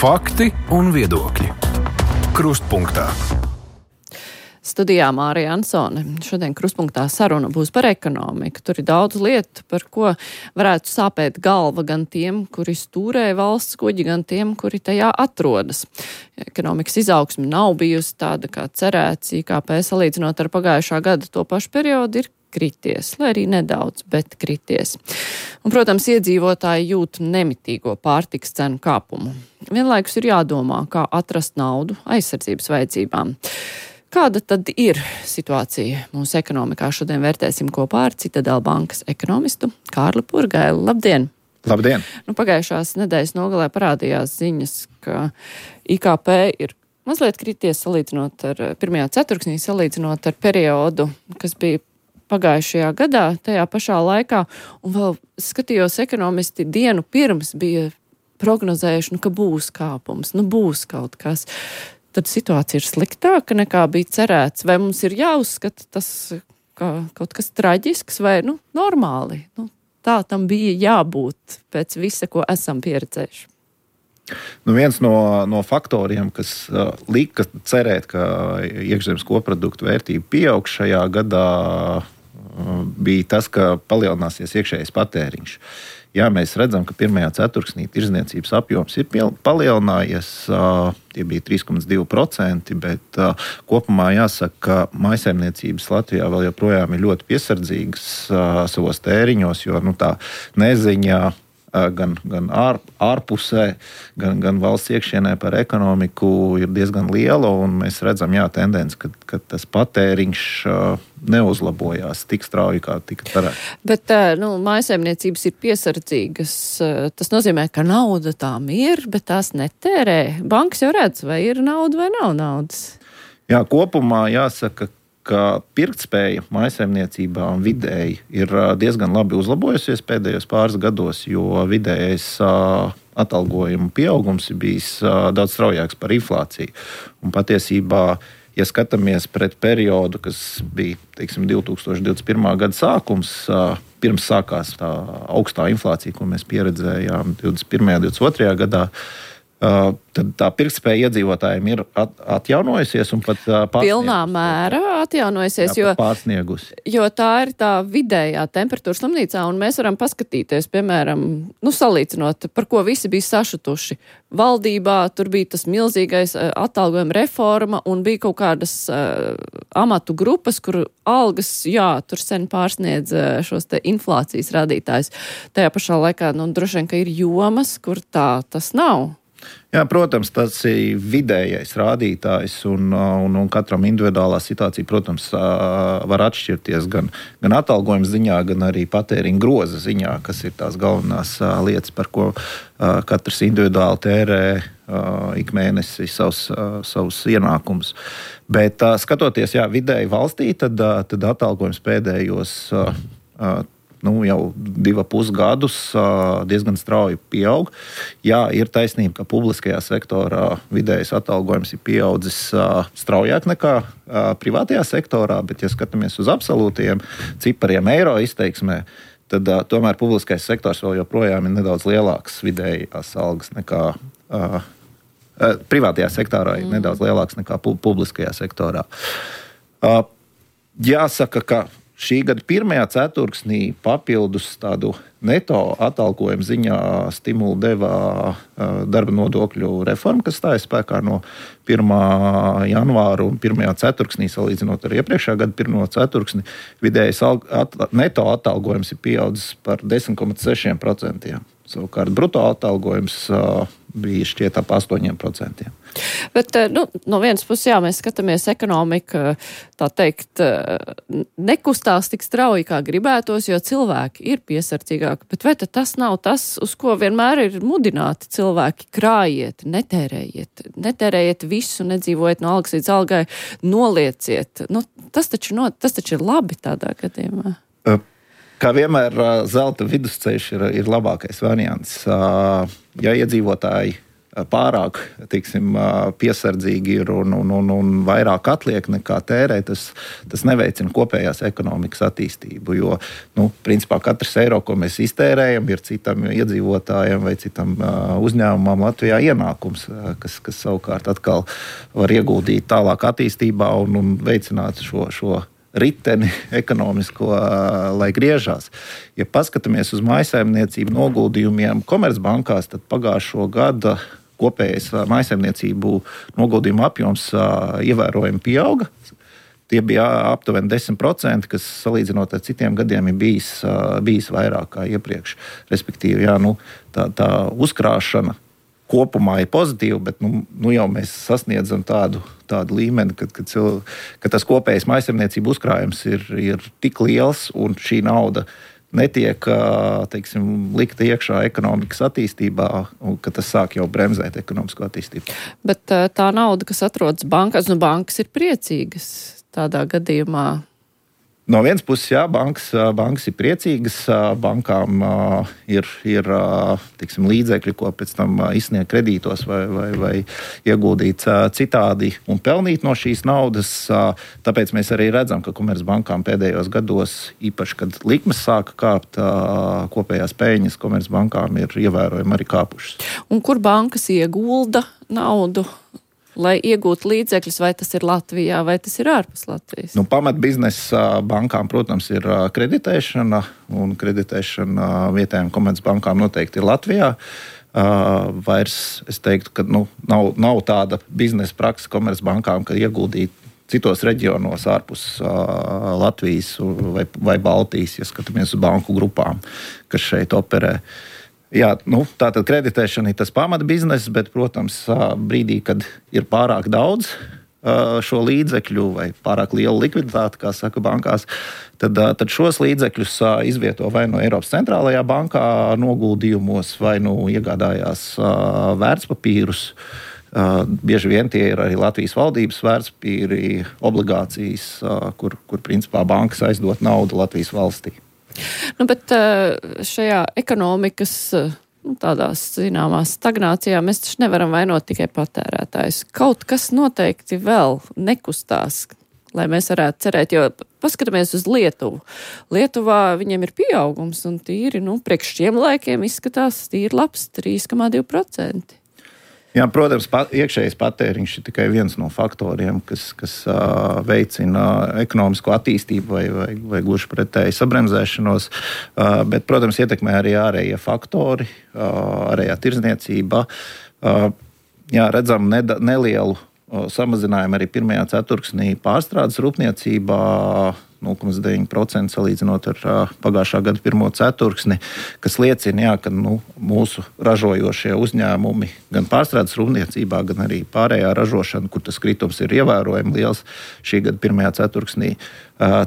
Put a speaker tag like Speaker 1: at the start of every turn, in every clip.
Speaker 1: Fakti un viedokļi. Krustpunktā.
Speaker 2: Studijā Mārija Ansone. Šodien Krustpunktā saruna būs par ekonomiku. Tur ir daudz lietu, par ko varētu sāpēt galva gan tiem, kuri stūrē valsts kuģi, gan tiem, kuri tajā atrodas. Ekonomikas izaugsme nav bijusi tāda, kā cerēts. IKP salīdzinot ar pagājušā gada to pašu periodu ir krities, lai arī nedaudz, bet krities. Un, protams, iedzīvotāji jūt nemitīgo pārtikas cenu kāpumu. Vienlaikus ir jādomā, kā atrast naudu aizsardzības vajadzībām. Kāda tad ir situācija mūsu ekonomikā? Šodien vērtēsim kopā ar Citadela bankas ekonomistu Kārli Purgailu. Labdien!
Speaker 3: Labdien!
Speaker 2: Pagājušās nedēļas nogalē parādījās ziņas, ka IKP ir mazliet krities salīdzinot ar pirmajā ceturksnī, salīdzinot ar periodu, kas bija pagājušajā gadā, tajā pašā laikā. Un vēl skatījos, ekonomisti dienu pirms bija prognozējuši, ka būs kāpums, būs kaut kas. Tad situācija ir sliktāka nekā bija cerēts. Vai mums ir jāuzskata tas kā kaut kas traģisks vai normāli? Tā tam bija jābūt pēc visa, ko esam pieredzējuši.
Speaker 3: Viens no faktoriem, kas lika cerēt, ka iekšzemes koproduktu vērtība pieaug šajā gadā, bija tas, ka palielināsies iekšējais patēriņš. Jā, mēs redzam, ka pirmajā ceturksnī tirdzniecības apjoms ir palielinājies, tie bija 3,2%, bet kopumā jāsaka, ka mājsaimniecības Latvijā vēl joprojām ir ļoti piesardzīgas savos tēriņos, jo tā neziņā gan ārpusē, gan valsts iekšienē par ekonomiku ir diezgan liela, un mēs redzam, tendenci, ka tas patēriņš neuzlabojās tik strauji, kā tika cerēts.
Speaker 2: Bet mājsaimniecības ir piesardzīgas. Tas nozīmē, ka nauda tām ir, bet tās netērē. Bankas jau redz, vai ir nauda vai nav naudas.
Speaker 3: Jā, kopumā jāsaka, ka pirktspēja mājsaimniecībām vidēji ir diezgan labi uzlabojusies pēdējos pāris gados, jo vidējais atalgojuma pieaugums ir bijis daudz straujāks par inflāciju. Un patiesībā, ja skatāmies pret periodu, kas bija 2021. Gada sākums, pirms sākās tā augstā inflācija, ko mēs pieredzējām 21. un 22. gadā, tad tā pirktspēja iedzīvotājiem ir atjaunojusies un pat
Speaker 2: pilnā mērā atjaunojusies, jo tā ir tā vidējā temperatūra slimnīcā, un mēs varam paskatīties, piemēram, salīdzinot, par ko visi bija sašutuši. Valdībā tur bija tas milzīgais atalgojuma reforma, un bija kaut kādas amatu grupas, kur algas, tur sen pārsniedz šos te inflācijas rādītājus. Tajā pašā laikā, droši vien, ka ir jomas, kur tas nav.
Speaker 3: Jā, protams, tas ir vidējais rādītājs, un katram individuālā situācija, protams, var atšķirties gan atalgojuma ziņā, gan arī patēriņa groza ziņā, kas ir tās galvenās lietas, par ko katrs individuāli tērē ik mēnesi savus ienākumus. Bet skatoties vidēji valstī, tad atalgojums pēdējos jau 2,5 gadus diezgan strauji pieaug. Jā, ir taisnība, ka publiskajā sektorā vidējais atalgojums ir pieaudzis straujāk nekā privātajā sektorā, bet ja skatāmies uz absolūtajiem cipariem eiro izteiksmē, tad tomēr publiskais sektors vēl joprojām ir nedaudz lielāks vidējās algas nekā privātajā sektorā ir nedaudz lielāks nekā publiskajā sektorā. Jāsaka, ka šī gada pirmajā ceturksnī papildus tādu neto atalgojumu ziņā stimulu deva darba nodokļu reforma, kas stājas spēkā no 1. janvāra un 1. ceturksnī, salīdzinot ar iepriekšējā gada 1. ceturksni, vidējais neto atalgojums ir pieaudzis par 10,6%. Savukārt bruto atalgojums bija šķiet ap 8%.
Speaker 2: Bet, no vienas puses, mēs skatāmies ekonomika, tā teikt, nekustās tik strauji, kā gribētos, jo cilvēki ir piesardzīgāki. Bet vai tad tas nav tas, uz ko vienmēr ir mudināti cilvēki? Krājiet, netērējiet visu, nedzīvojiet no algas līdz algai, nolieciet. Tas taču ir labi tādā gadījumā.
Speaker 3: Kā vienmēr, zelta vidusceļš ir labākais variants. Ja iedzīvotāji pārāk, piesardzīgi ir un vairāk atliek nekā tērē, tas neveicina kopējās ekonomikas attīstību, jo, principā katrs eiro, ko mēs iztērējam, ir citam iedzīvotājiem vai citam uzņēmumam Latvijā ienākums, kas savukārt atkal var ieguldīt tālāk attīstībā un veicināt šo riteni ekonomisko, lai griežās. Ja paskatāmies uz mājsaimniecību noguldījumiem Komercbankās, tad pagājušo gada kopējais mājsaimniecību noguldījumu apjoms ievērojami pieauga. Tie bija aptuveni 10%, kas salīdzinot ar citiem gadiem ir bijis vairāk kā iepriekš. Respektīvi, tā uzkrāšana kopumā ir pozitīva, bet jau mēs sasniedzam tādu līmeni, ka tas kopējais mājsaimniecību uzkrājums ir tik liels un šī nauda netiek, likta iekšā ekonomikas attīstībā, ka tas sāk jau bremzēt ekonomisko attīstību.
Speaker 2: Bet tā nauda, kas atrodas bankās, bankas ir priecīgas tādā gadījumā.
Speaker 3: No vienas puses, jā, bankas ir priecīgas, bankām ir līdzekļi, ko pēc tam izsniegt kredītos vai ieguldīt citādi un pelnīt no šīs naudas. Tāpēc mēs arī redzam, ka Komercbankām pēdējos gados, īpaši, kad likmes sāka kāpt, kopējās peļņas Komercbankām ir ievērojami arī kāpušas.
Speaker 2: Un kur bankas iegulda naudu? Lai iegūtu līdzekļus, vai tas ir Latvijā, vai tas ir ārpus Latvijas?
Speaker 3: Pamatbiznesa bankām, protams, ir kreditēšana, un kreditēšana vietējām Komercbankām noteikti ir Latvijā. Vairs es teiktu, ka nav tāda biznesa praksa Komercbankām, ka ieguldīt citos reģionos ārpus Latvijas vai Baltijas, ja skatāmies uz banku grupām, kas šeit operē. Jā, tātad kreditēšana ir tas pamatbizness, bet, protams, brīdī, kad ir pārāk daudz šo līdzekļu vai pārāk liela likviditāte, kā saka bankās, tad šos līdzekļus izvieto vai no Eiropas centrālajā bankā noguldījumos, vai iegādājās vērtspapīrus. Bieži vien tie ir arī Latvijas valdības vērtspapīri, obligācijas, kur principā bankas aizdot naudu Latvijas valstī.
Speaker 2: Bet šajā ekonomikas tādās zināmās stagnācijā mēs taču nevaram vainot tikai patērētājus. Kaut kas noteikti vēl nekustās, lai mēs varētu cerēt, jo paskatāmies uz Lietuvu. Lietuvā viņiem ir pieaugums un tīri, priekš šiem laikiem izskatās tīri labs 3,2%.
Speaker 3: Jā, protams, iekšējais patēriņš ir tikai viens no faktoriem, kas veicina ekonomisko attīstību vai gluži pretēji sabremzēšanos, bet, protams, ietekmē arī ārējie faktori, ārējā tirdzniecība. Jā, redzam nelielu samazinājumu arī pirmajā ceturksnī pārstrādes rūpniecībā, 0,9% salīdzinot ar pagājušā gada pirmo ceturksni, kas liecina, ka mūsu ražojošie uzņēmumi gan pārstrādes rūpniecībā, gan arī pārējā ražošana, kur tas kritums ir ievērojami liels šī gada pirmajā ceturksnī,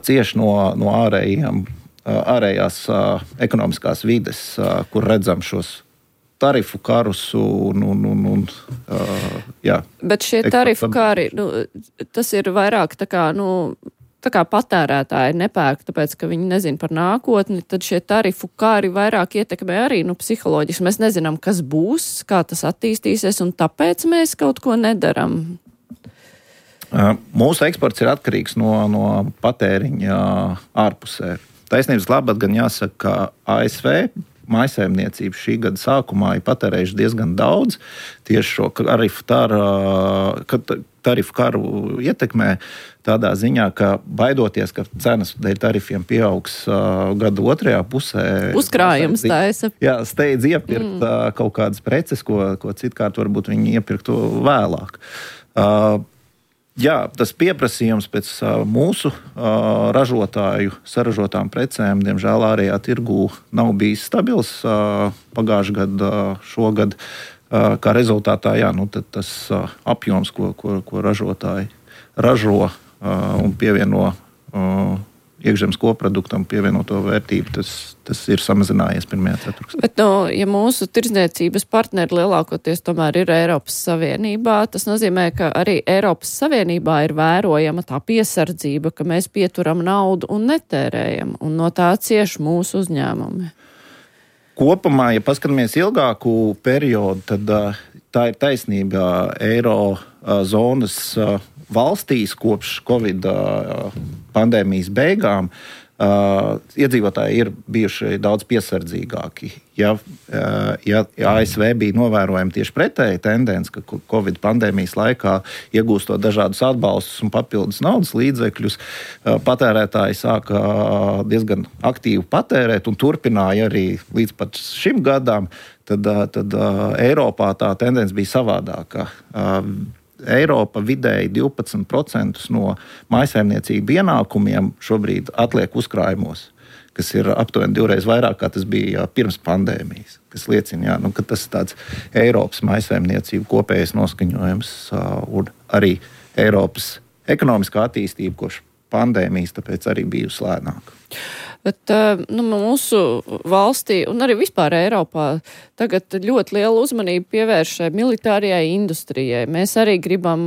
Speaker 3: cieši no ārējās ekonomiskās vides, kur redzam šos tarifu karus jā.
Speaker 2: Bet šie tarifu kari, tas ir vairāk tā kā patērētāji nepērk, tāpēc, ka viņi nezina par nākotni, tad šie tarifu kari vairāk ietekmē arī psiholoģiski. Mēs nezinām, kas būs, kā tas attīstīsies, un tāpēc mēs kaut ko nedaram.
Speaker 3: Mūsu eksports ir atkarīgs no patēriņa ārpusē. Taisnības labad gan jāsaka, ka ASV mājsaimniecība šī gada sākumā ir patērējuši diezgan daudz tieši šo tarifu karu ietekmē tādā ziņā, ka baidoties, ka cenas dēļ tarifiem pieaugs gada otrajā pusē.
Speaker 2: Uzkrājums taisa.
Speaker 3: Jā, steidz iepirkt kaut kādas preces, ko citkārt varbūt viņi iepirktu vēlāk. Jā, tas pieprasījums pēc mūsu ražotāju saražotām precēm, diemžēl ārējā tirgū nav bijis stabils pagājušā gada, šogad. Kā rezultātā, tad tas apjoms, ko ražotāji ražo un pievieno iekšzemes koproduktam pievienoto vērtību, tas ir samazinājies pirmajā ceturksnī.
Speaker 2: Bet, ja mūsu tirdzniecības partneri lielākoties tomēr ir Eiropas Savienībā, tas nozīmē, ka arī Eiropas Savienībā ir vērojama tā piesardzība, ka mēs pieturam naudu un netērējam, un no tā cieš mūsu uzņēmumi.
Speaker 3: Kopumā, ja paskatāmies ilgāku periodu, tad tā ir taisnība. Eiro zonas valstīs kopš Covid pandēmijas beigām iedzīvotāji ir bijuši daudz piesardzīgāki. Ja ASV bija novērojama tieši pretēja tendence, ka Covid pandēmijas laikā iegūstot dažādus atbalstus un papildus naudas līdzekļus, patērētāji sāka diezgan aktīvi patērēt un turpināja arī līdz pat šim gadam, tad Eiropā tā tendence bija savādāka. Eiropa vidēji 12% no mājsaimniecību ienākumiem šobrīd atliek uzkrājumos, kas ir aptuveni 2 reizes vairāk, kā tas bija pirms pandēmijas, kas liecina, ka tas ir tāds Eiropas mājsaimniecību kopējais noskaņojums un arī Eiropas ekonomiskā attīstība kopš pandēmijas, tāpēc arī bijusi lēnāka.
Speaker 2: Bet mūsu valstī un arī vispār Eiropā tagad ļoti lielu uzmanību pievērš militārajai industrijai. Mēs arī gribam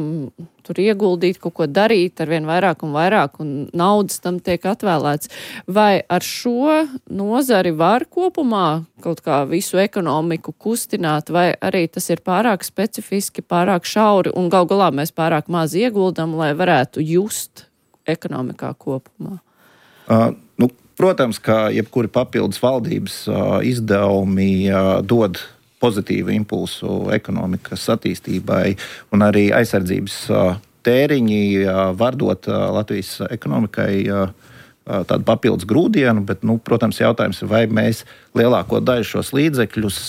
Speaker 2: tur ieguldīt, kaut ko darīt arvien vairāk un vairāk, un naudas tam tiek atvēlēts. Vai ar šo nozari var kopumā kaut kā visu ekonomiku kustināt, vai arī tas ir pārāk specifiski, pārāk šauri, un gal galā mēs pārāk maz ieguldam, lai varētu just ekonomikā kopumā?
Speaker 3: Protams, ka jebkuri papildus valdības izdevumi dod pozitīvu impulsu ekonomikas attīstībai, un arī aizsardzības tēriņi var dot Latvijas ekonomikai tādu papildus grūdienu, bet, protams, jautājums ir, vai mēs lielāko daļu šos līdzekļus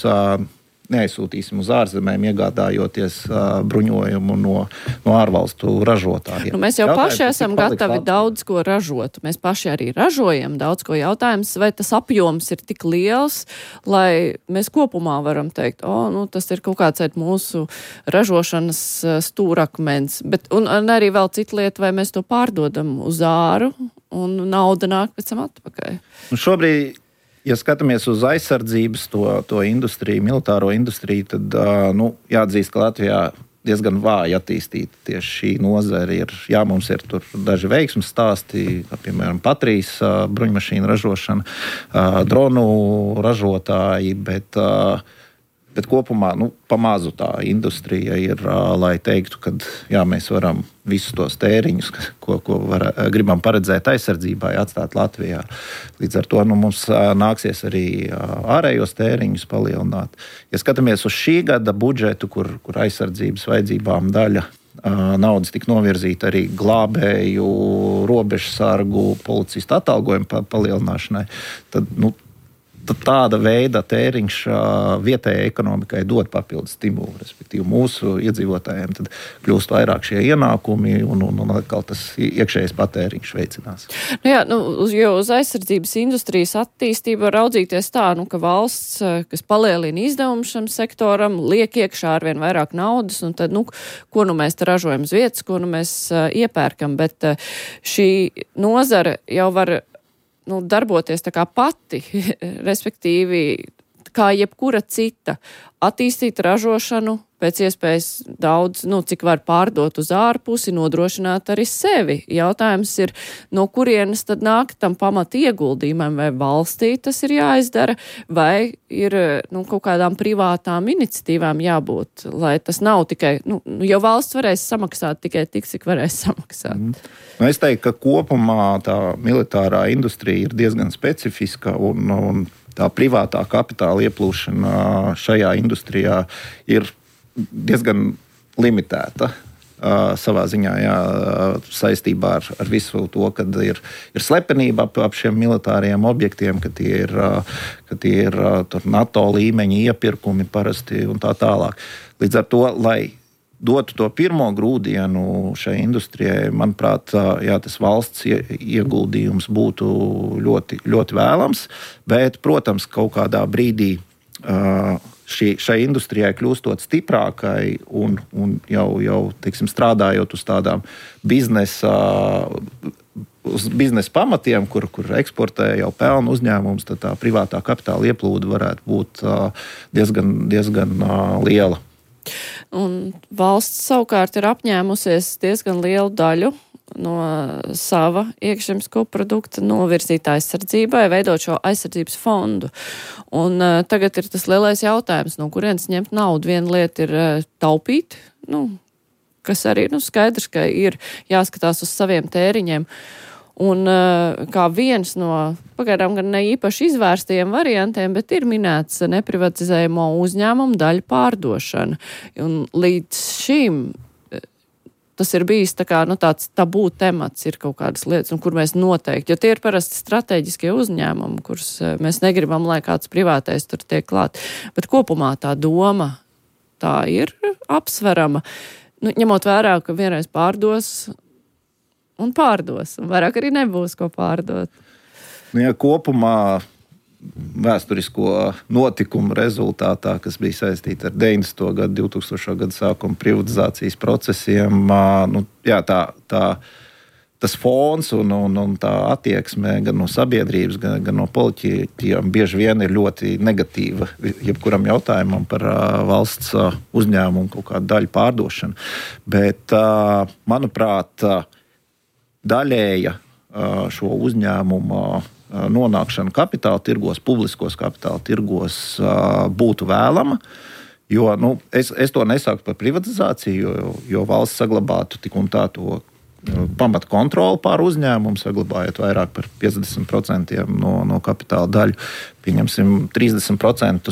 Speaker 3: neaizsūtīsim uz ārzemēm, iegādājoties bruņojumu no ārvalstu ražotājiem.
Speaker 2: Mēs jau paši esam gatavi daudz ko ražot. Mēs paši arī ražojam daudz ko. Jautājums, vai tas apjoms ir tik liels, lai mēs kopumā varam teikt, tas ir kaut kāds mūsu ražošanas stūrakmens. Un arī vēl cita lieta, vai mēs to pārdodam uz āru un nauda nāk pēc tam atpakaļ.
Speaker 3: Šobrīd, ja skatāmies uz aizsardzības to industriju, militāro industriju, tad jāatzīst, ka Latvijā diezgan vāji attīstīta tieši šī nozare. Mums ir tur daži veiksmes stāsti, piemēram, Patrijas bruņmašīnu ražošana, dronu ražotāji, bet kopumā pamazu tā industrija ir, lai teiktu, ka mēs varam visus tos tēriņus, ko gribam paredzēt aizsardzībai, atstāt Latvijā. Līdz ar to mums nāksies arī ārējos tēriņus palielināt. Ja skatāmies uz šī gada budžetu, kur aizsardzības vajadzībām daļa naudas tika novirzīta arī glābēju, robežsargu, policistu atalgojumu palielināšanai, tad tāda veida tēriņš vietējai ekonomikai dod papildus stimulu, respektīvi mūsu iedzīvotājiem tad kļūst vairāk šie ienākumi un atkal tas iekšējais patēriņš veicinās.
Speaker 2: Jo uz aizsardzības industrijas attīstību var raudzīties tā, ka valsts, kas palielina izdevumu šam sektoram, liek iekšā arvien vairāk naudas, un tad, ko mēs te ražojam uz vietas, ko mēs iepērkam, bet šī nozara jau var darboties tā kā pati, respektīvi, kā jebkura cita, attīstīt ražošanu pēc iespējas daudz, cik var pārdot uz ārpusi, nodrošināt arī sevi. Jautājums ir, no kurienes tad nāk tam pamata ieguldījumam, vai valstī tas ir jāizdara, vai ir kaut kādām privātām iniciatīvām jābūt, lai tas nav tikai, jo valsts varēs samaksāt tikai tik, cik varēs samaksāt.
Speaker 3: Es teiktu, ka kopumā tā militārā industrija ir diezgan specifiska un tā privātā kapitāla ieplūšana šajā industrijā ir diezgan limitēta savā ziņā saistībā ar visu to, kad ir slepenība ap šiem militāriem objektiem, ka tie ir tur NATO līmeņa iepirkumi parasti un tā tālāk. Līdz ar to, lai dotu to pirmo grūdienu šai industrijai, manuprāt, tas valsts ieguldījums būtu ļoti, ļoti vēlams, bet, protams, kaut kādā brīdī šai industrijai kļūstot stiprākai un jau teiksim, strādājot uz tādām biznesa pamatiem, kur eksportē jau pelnu uzņēmums, tad tā privātā kapitāla ieplūde varētu būt diezgan liela.
Speaker 2: Un valsts savukārt ir apņēmusies diezgan lielu daļu no sava iekšzemes koprodukta novirzīt aizsardzībai, veidot šo aizsardzības fondu. Un tagad ir tas lielais jautājums, no kurienes ņemt naudu. Viena lieta ir taupīt, kas arī skaidrs, ka ir jāskatās uz saviem tēriņiem. Un kā viens no pagaidām gan ne īpaši izvērstajiem variantiem, bet ir minēts neprivatizējamo uzņēmumu daļu pārdošana. Un līdz šim tas ir bijis tāds tabū temats, ir kaut kādas lietas, un kur mēs noteikti, jo tie ir parasti strateģiskie uzņēmumi, kurus mēs negribam, lai kāds privātais tur tiek klāt. Bet kopumā tā doma, tā ir apsverama, ņemot vērā, ka vienreiz pārdos, un vairāk arī nebūs ko pārdot.
Speaker 3: Ja kopumā vēsturisko notikumu rezultātā, kas bija saistīta ar 90. gadu, 2000. gadu sākuma privatizācijas procesiem, tas fons un tā attieksme gan no sabiedrības, gan no politiķiem bieži vien ir ļoti negatīva jebkuram jautājumam par valsts uzņēmumu kaut kādu daļu pārdošanu. Bet, manuprāt, daļēja šo uzņēmumu nonākšana kapitāla tirgos, publiskos kapitāla tirgos būtu vēlama, jo es to nesāku par privatizāciju, jo valsts saglabātu tik un tā to pamat kontroli pār uzņēmumu, saglabājot vairāk par 50% no kapitāla daļu. Pieņemsim 30%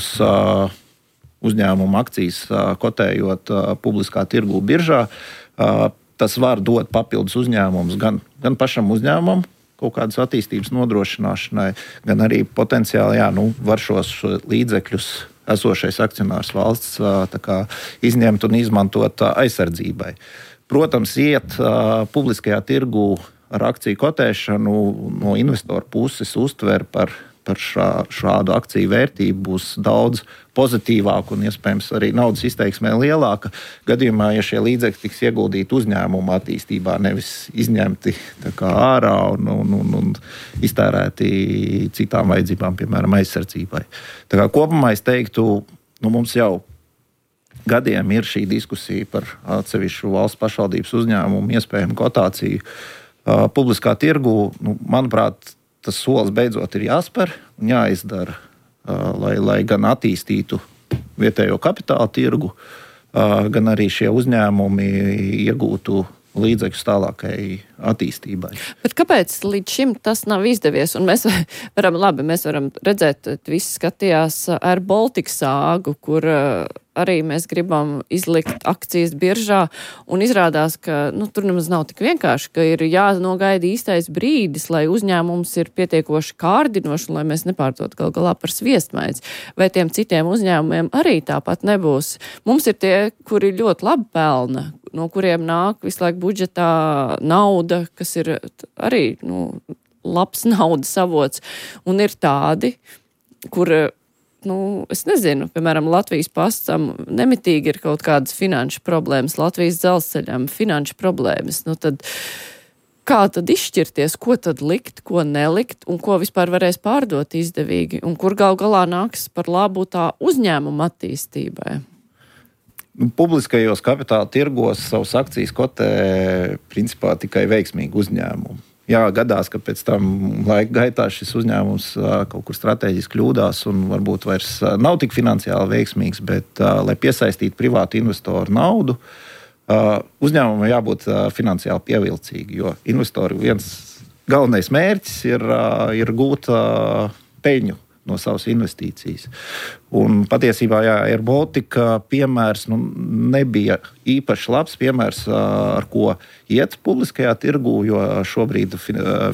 Speaker 3: uzņēmumu akcijas kotējot publiskā tirgū biržā. Tas var dot papildus uzņēmumus gan pašam uzņēmumam, kaut kādas attīstības nodrošināšanai, gan arī potenciāli var šos līdzekļus esošais akcionārs valsts izņemt un izmantot aizsardzībai. Protams, iet publiskajā tirgū ar akciju kotēšanu no investoru puses uztver par šādu akciju vērtību būs daudz pozitīvāka un iespējams arī naudas izteiksmē lielāka gadījumā, ja šie līdzekļi tiks ieguldīti uzņēmuma attīstībā, nevis izņemti ārā un iztērēti citām vajadzībām, piemēram, aizsardzībai. Kopumā es teiktu, mums jau gadiem ir šī diskusija par atsevišķu valsts pašvaldības uzņēmumu iespējamu kotāciju publiskā tirgu. Manuprāt, tas solis beidzot ir jāspēr un jāizdara, lai gan attīstītu vietējo kapitāla tirgu, gan arī šie uzņēmumi iegūtu līdzekļus tālākai attīstībai.
Speaker 2: Bet kāpēc līdz šim tas nav izdevies? Un mēs varam redzēt, visi skatījās Air Baltica sāgu, kur arī mēs gribam izlikt akcijas biržā, un izrādās, ka tur nemaz nav tik vienkārši, ka ir jānogaida īstais brīdis, lai uzņēmums ir pietiekoši kārdinoši, lai mēs nepārdot gal galā par sviestmaizi. Vai tiem citiem uzņēmumiem arī tāpat nebūs? Mums ir tie, kuri ļoti labi pelna, no kuriem nāk visu laiku budžetā nauda, kas ir arī labs naudas avots, un ir tādi, kur es nezinu, piemēram, Latvijas pastam nemitīgi ir kaut kādas finanšu problēmas, Latvijas dzelzceļam finanšu problēmas. Tad kā tad izšķirties, ko tad likt, ko nelikt, un ko vispār varēs pārdot izdevīgi, un kur gal galā nāks par labu tā uzņēmuma attīstībai?
Speaker 3: Publiskajos kapitāla tirgos savas akcijas kotē principā tikai veiksmīgi uzņēmumi. Jā, gadās, ka pēc tam laika gaitā šis uzņēmums kaut kur strateģiski kļūdās un varbūt vairs nav tik finansiāli veiksmīgs, bet, lai piesaistītu privātu investoru naudu, uzņēmumam jābūt finansiāli pievilcīgi, jo investoru viens galvenais mērķis ir gūt peļņu no savas investīcijas. Un patiesībā, Air Baltica piemērs nebija īpaši labs piemērs, ar ko iet publiskajā tirgū, jo šobrīd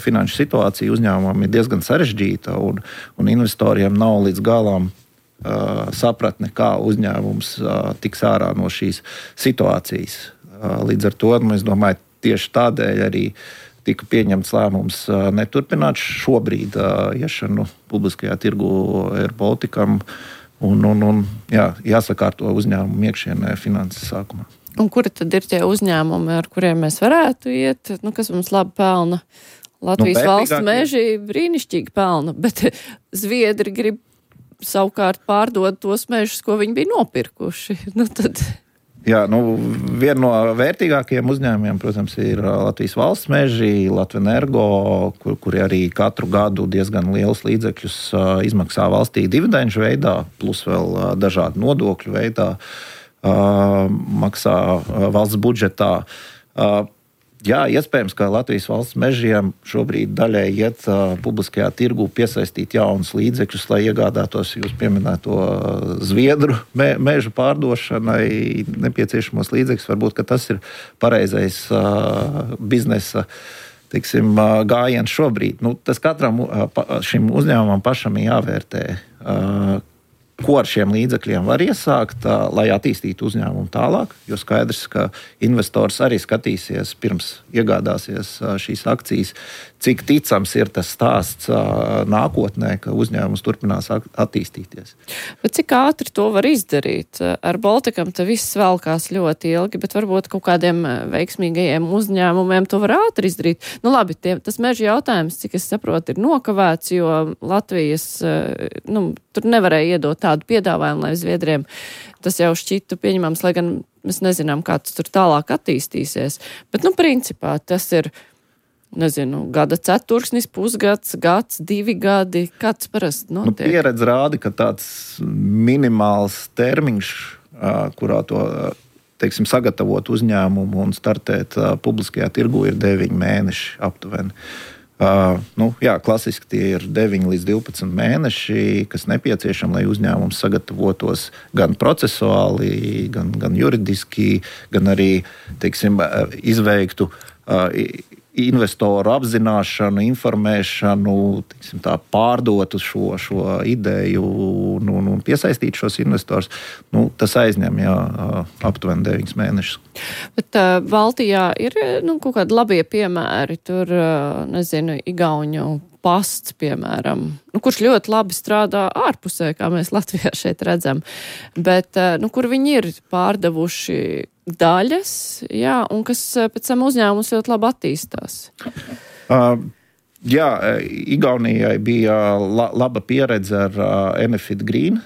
Speaker 3: finanšu situācija uzņēmumam ir diezgan sarežģīta un investoriem nav līdz galam sapratne, kā uzņēmums tiks ārā no šīs situācijas. Līdz ar to, es domāju, tieši tādēļ arī tika pieņemts lēmums neturpināt šobrīd iešanu publiskajā tirgu Air Balticam un jāsakārto uzņēmumu iekšienē finanses sākumā.
Speaker 2: Un kuri tad ir tie uzņēmumi, ar kuriem mēs varētu iet, kas mums labi pelna? Latvijas valsts meži brīnišķīgi pelna, bet Zviedri grib savukārt pārdot tos mežus, ko viņi bija nopirkuši.
Speaker 3: Jā, viena no vērtīgākajiem uzņēmumiem, protams, ir Latvijas valsts meži, Latvenergo, kuri arī katru gadu diezgan lielus līdzekļus izmaksā valstī dividendžu veidā, plus vēl dažādu nodokļu veidā maksā valsts budžetā. Jā, iespējams, ka Latvijas valsts mežiem šobrīd daļai iet publiskajā tirgū piesaistīt jaunus līdzekļus, lai iegādātos jūs pieminēto Zviedru mežu pārdošanai nepieciešamos līdzekļus. Varbūt, ka tas ir pareizais biznesa, teiksim, gājiens šobrīd. Tas katram šim uzņēmumam pašam ir jāvērtē, ko ar šiem līdzekļiem var iesākt, lai attīstītu uzņēmumu tālāk. Jo skaidrs, ka investors arī skatīsies pirms iegādāsies šīs akcijas, cik ticams ir tas stāsts nākotnē, ka uzņēmums turpinās attīstīties.
Speaker 2: Bet cik ātri to var izdarīt? Ar Baltikam te viss velkās ļoti ilgi, bet varbūt kaut kādiem veiksmīgajiem uzņēmumiem to var ātri izdarīt. Labi, tas meža jautājums, cik es saprotu, ir nokavēts, jo Latvijas, tur nevarēja iedot tādu piedāvājumu, lai Zviedriem tas jau šķitu pieņemams, lai gan mēs nezinām, kā tas tur tālāk attīstīsies. Bet, principā, tas ir, gada ceturksnis, pusgads, gads, 2 gadi, kāds parasti notiek?
Speaker 3: Pieredze rāda, ka tāds minimāls termiņš, kurā to, teiksim, sagatavot uzņēmumu un startēt publiskajā tirgu, ir 9 mēneši aptuveni. Klasiski tie ir 9 līdz 12 mēneši, kas nepieciešami, lai uzņēmums sagatavotos gan procesuāli, gan juridiski, gan arī, teiksim, izveiktu investoru apzināšanu, informēšanu, teiksim, tā, pārdotu šo ideju un piesaistītu šos investors. Tas aizņem aptuveni 9 mēnešus.
Speaker 2: Bet Baltijā ir kaut kādi labie piemēri, tur, Igauņu pasts, piemēram, kurš ļoti labi strādā ārpusē, kā mēs Latvijā šeit redzam, bet kur viņi ir pārdevuši daļas, un kas pēc tam uzņēmums ļoti labi attīstās.
Speaker 3: Igaunijai bija laba pieredze ar Enefit Green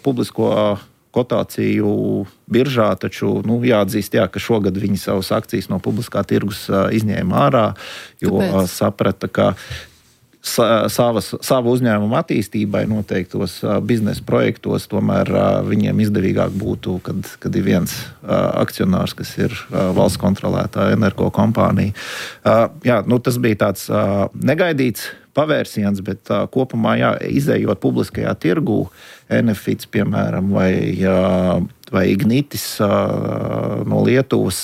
Speaker 3: publisko kotāciju biržā, taču jāatzīst, ka šogad viņi savas akcijas no publiskā tirgus izņēma ārā, jo saprata, ka savu uzņēmumu attīstībai noteiktos biznesa projektos tomēr viņiem izdevīgāk būtu, kad ir viens akcionārs, kas ir valsts kontrolētā energo kompānija. Tas bija tāds negaidīts pavērsiens, bet kopumā izējot publiskajā tirgū, Enefits, piemēram, vai Ignitis no Lietuvas,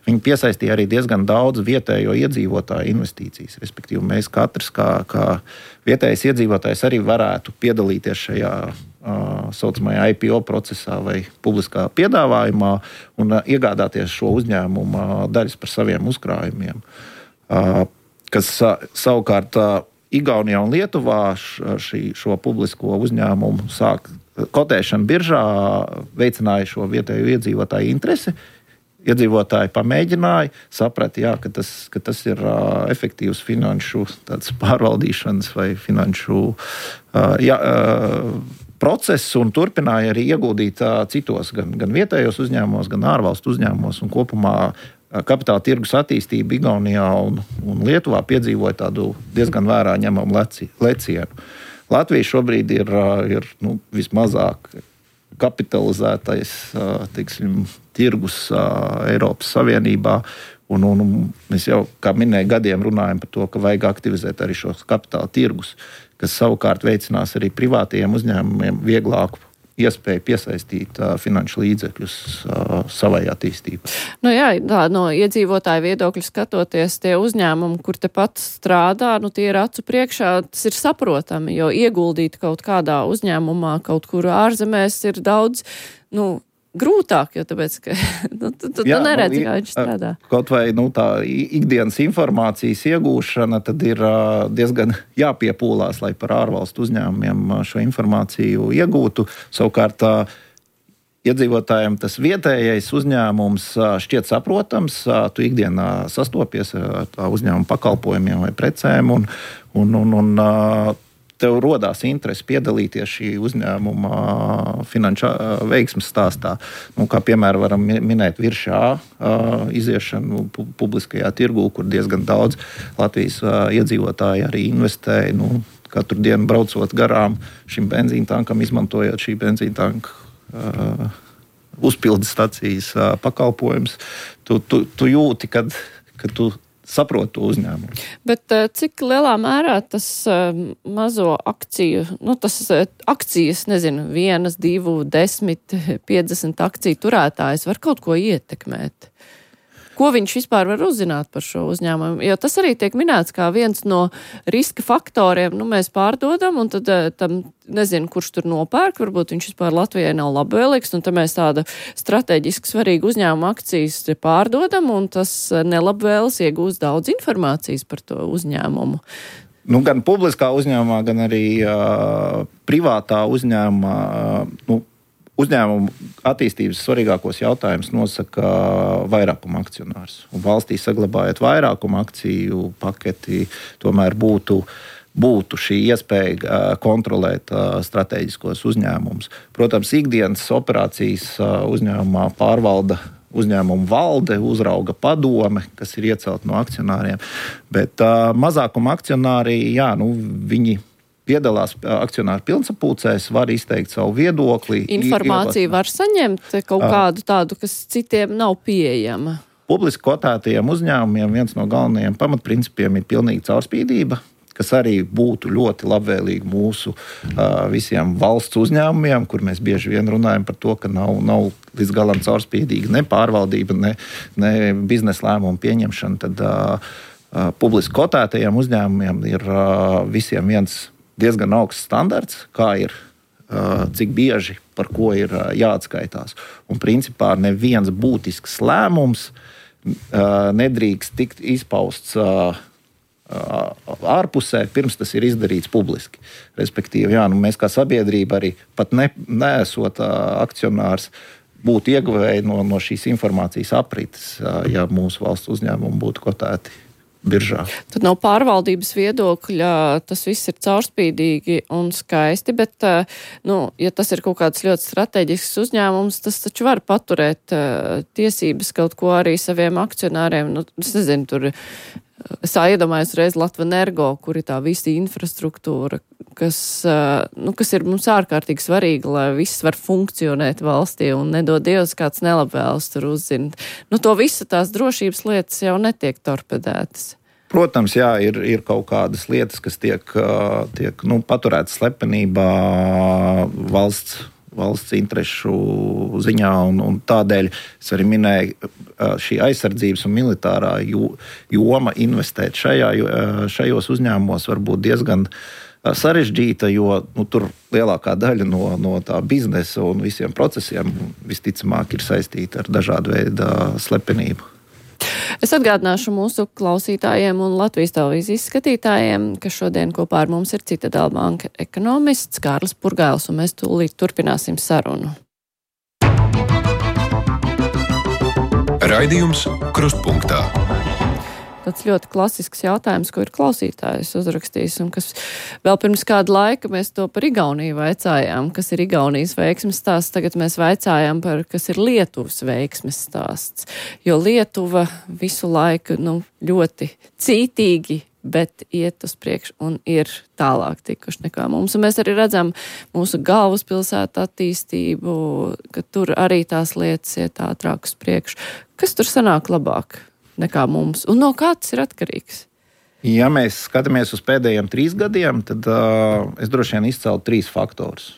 Speaker 3: viņi piesaistīja arī diezgan daudz vietējo iedzīvotāju investīcijas. Respektīvi, mēs katrs kā vietējais iedzīvotājs arī varētu piedalīties šajā saucamajā IPO procesā vai publiskā piedāvājumā un iegādāties šo uzņēmumu daļas par saviem uzkrājumiem. Kas savukārt Igaunijā un Lietuvā šo publisko uzņēmumu sāk kotēšana biržā, veicināja šo vietējo iedzīvotāju interesi. Iedzīvotāji pamēģināja, saprata, ka tas ir efektīvs finanšu pārvaldīšanas vai finanšu process un turpināja arī ieguldīt citos, gan vietējos uzņēmumos, gan ārvalstu uzņēmumos un kopumā kapitāla tirgus attīstība Igaunijā un Lietuvā piedzīvoja tādu diezgan vērā ņemamu lecienu. Latvija šobrīd ir vismazāk kapitalizētais, teiksim, tirgus Eiropas Savienībā. Un mēs jau, kā minēju, gadiem runājam par to, ka vajag aktivizēt arī šos kapitāla tirgus, kas savukārt veicinās arī privātajiem uzņēmumiem vieglāku iespēju piesaistīt finanšu līdzekļus savai attīstībai.
Speaker 2: No iedzīvotāju viedokļa skatoties, tie uzņēmumi, kur tepat strādā, tie ir acu priekšā, tas ir saprotami, jo ieguldīt kaut kādā uzņēmumā, kaut kur ārzemēs ir daudz, grūtāk, jo tāpēc, ka tu neredzi, kā viņš strādā.
Speaker 3: Kaut vai tā ikdienas informācijas iegūšana, tad ir diezgan jāpiepūlās, lai par ārvalstu uzņēmumiem šo informāciju iegūtu. Savukārt iedzīvotājiem tas vietējais uzņēmums šķiet saprotams, tu ikdienā sastopies ar tā uzņēmuma pakalpojumiem vai precēm un tev rodās interese piedalīties šī uzņēmuma finanšu veiksmes stāstā. Kā piemēram varam minēt Virši A iziešanu publiskajā tirgū, kur diezgan daudz Latvijas iedzīvotāji arī investē. Katru dienu braucot garām šim benzīntankam, izmantojot šī benzīntanka uzpildes stacijas pakalpojums, tu jūti, kad tu saproti to uzņēmumu.
Speaker 2: Bet cik lielā mērā tas mazo akciju, tas akcijas, 1, 2, 10, 50 akciju turētājs var kaut ko ietekmēt? Ko viņš vispār var uzzināt par šo uzņēmumu? Jo tas arī tiek minēts kā viens no riska faktoriem. Mēs pārdodam, un tad tam nezinu, kurš tur nopērk. Varbūt viņš vispār Latvijai nav labvēlīgs, un tad mēs tāda strateģiski svarīga uzņēmuma akcijas pārdodam, un tas nelabvēlis iegūst daudz informācijas par to uzņēmumu.
Speaker 3: Gan publiskā uzņēmumā, gan arī privātā uzņēmumā, uzņēmumu attīstības svarīgākos jautājumus nosaka vairākuma akcionārs. Un valstī saglabājot vairākuma akciju paketi, tomēr būtu šī iespēja kontrolēt strateģiskos uzņēmumus. Protams, ikdienas operācijas uzņēmumā pārvalda uzņēmumu valde, uzrauga padome, kas ir iecelta no akcionāriem. Bet mazākuma akcionāri, viņi piedalās akcionāru pilnsapulcēs, var izteikt savu viedokli.
Speaker 2: Informāciju var saņemt kaut kādu tādu, kas citiem nav pieejama.
Speaker 3: Publiski kotētajiem uzņēmumiem viens no galvenajiem pamatprincipiem ir pilnīga caurspīdība, kas arī būtu ļoti labvēlīgi mūsu visiem valsts uzņēmumiem, kur mēs bieži vien runājam par to, ka nav līdz galam caurspīdīga ne pārvaldība, ne biznesa lēmumu pieņemšana. Tad publiski kotētajiem uzņēmumiem ir visiem viens diezgan augsts standarts, kā ir, cik bieži par ko ir jāatskaitās. Un principā neviens būtisks lēmums nedrīkst tikt izpausts ārpusē, pirms tas ir izdarīts publiski. Respektīvi, mēs kā sabiedrība arī pat neesot akcionārs būtu ieguvēji no šīs informācijas aprites, ja mūsu valsts uzņēmumi būtu kotēti biržā.
Speaker 2: Tad no pārvaldības viedokļa tas viss ir caurspīdīgi un skaisti, bet, ja tas ir kaut kāds ļoti strateģisks uzņēmums, tas taču var paturēt tiesības kaut ko arī saviem akcionāriem. Es nezinu, tur es iedomājos reiz Latvenergo, kur ir tā visa infrastruktūra, kas ir mums ārkārtīgi svarīga, lai viss var funkcionēt valstī un nedod Dievs kāds nelabvēls tur uzzina. To visu tās drošības lietas jau netiek torpedētas.
Speaker 3: Protams, ir kaut kādas lietas, kas tiek paturētas slepenībā valsts interešu ziņā, un tādēļ es arī minēju, šī aizsardzības un militārā joma investēt šajos uzņēmumos var būt diezgan sarežģīta, jo tur lielākā daļa no tā biznesa un visiem procesiem visticamāk ir saistīta ar dažādu veidu slepenību.
Speaker 2: Es atgādināšu mūsu klausītājiem un Latvijas televīzijas skatītājiem, ka šodien kopā ar mums ir Citadela banka ekonomists Kārlis Purgails, un mēs tūlīt turpināsim sarunu.
Speaker 1: Raidījums Krustpunktā.
Speaker 2: Tāds ļoti klasisks jautājums, ko ir klausītājs uzrakstījis, un kas vēl pirms kāda laika mēs to par Igauniju vaicājām, kas ir Igaunijas veiksmes stāsts. Tagad mēs vaicājām par, kas ir Lietuvas veiksmes stāsts. Jo Lietuva visu laiku ļoti cītīgi, bet iet uz priekšu un ir tālāk tikuši nekā mums. Un mēs arī redzam mūsu galvaspilsētu attīstību, ka tur arī tās lietas iet ātrāk uz priekšu. Kas tur sanāk labāk nekā mums? Un no kā tas ir atkarīgs?
Speaker 3: Ja mēs skatāmies uz pēdējiem 3 gadiem, tad es droši vien izceltu 3 faktorus.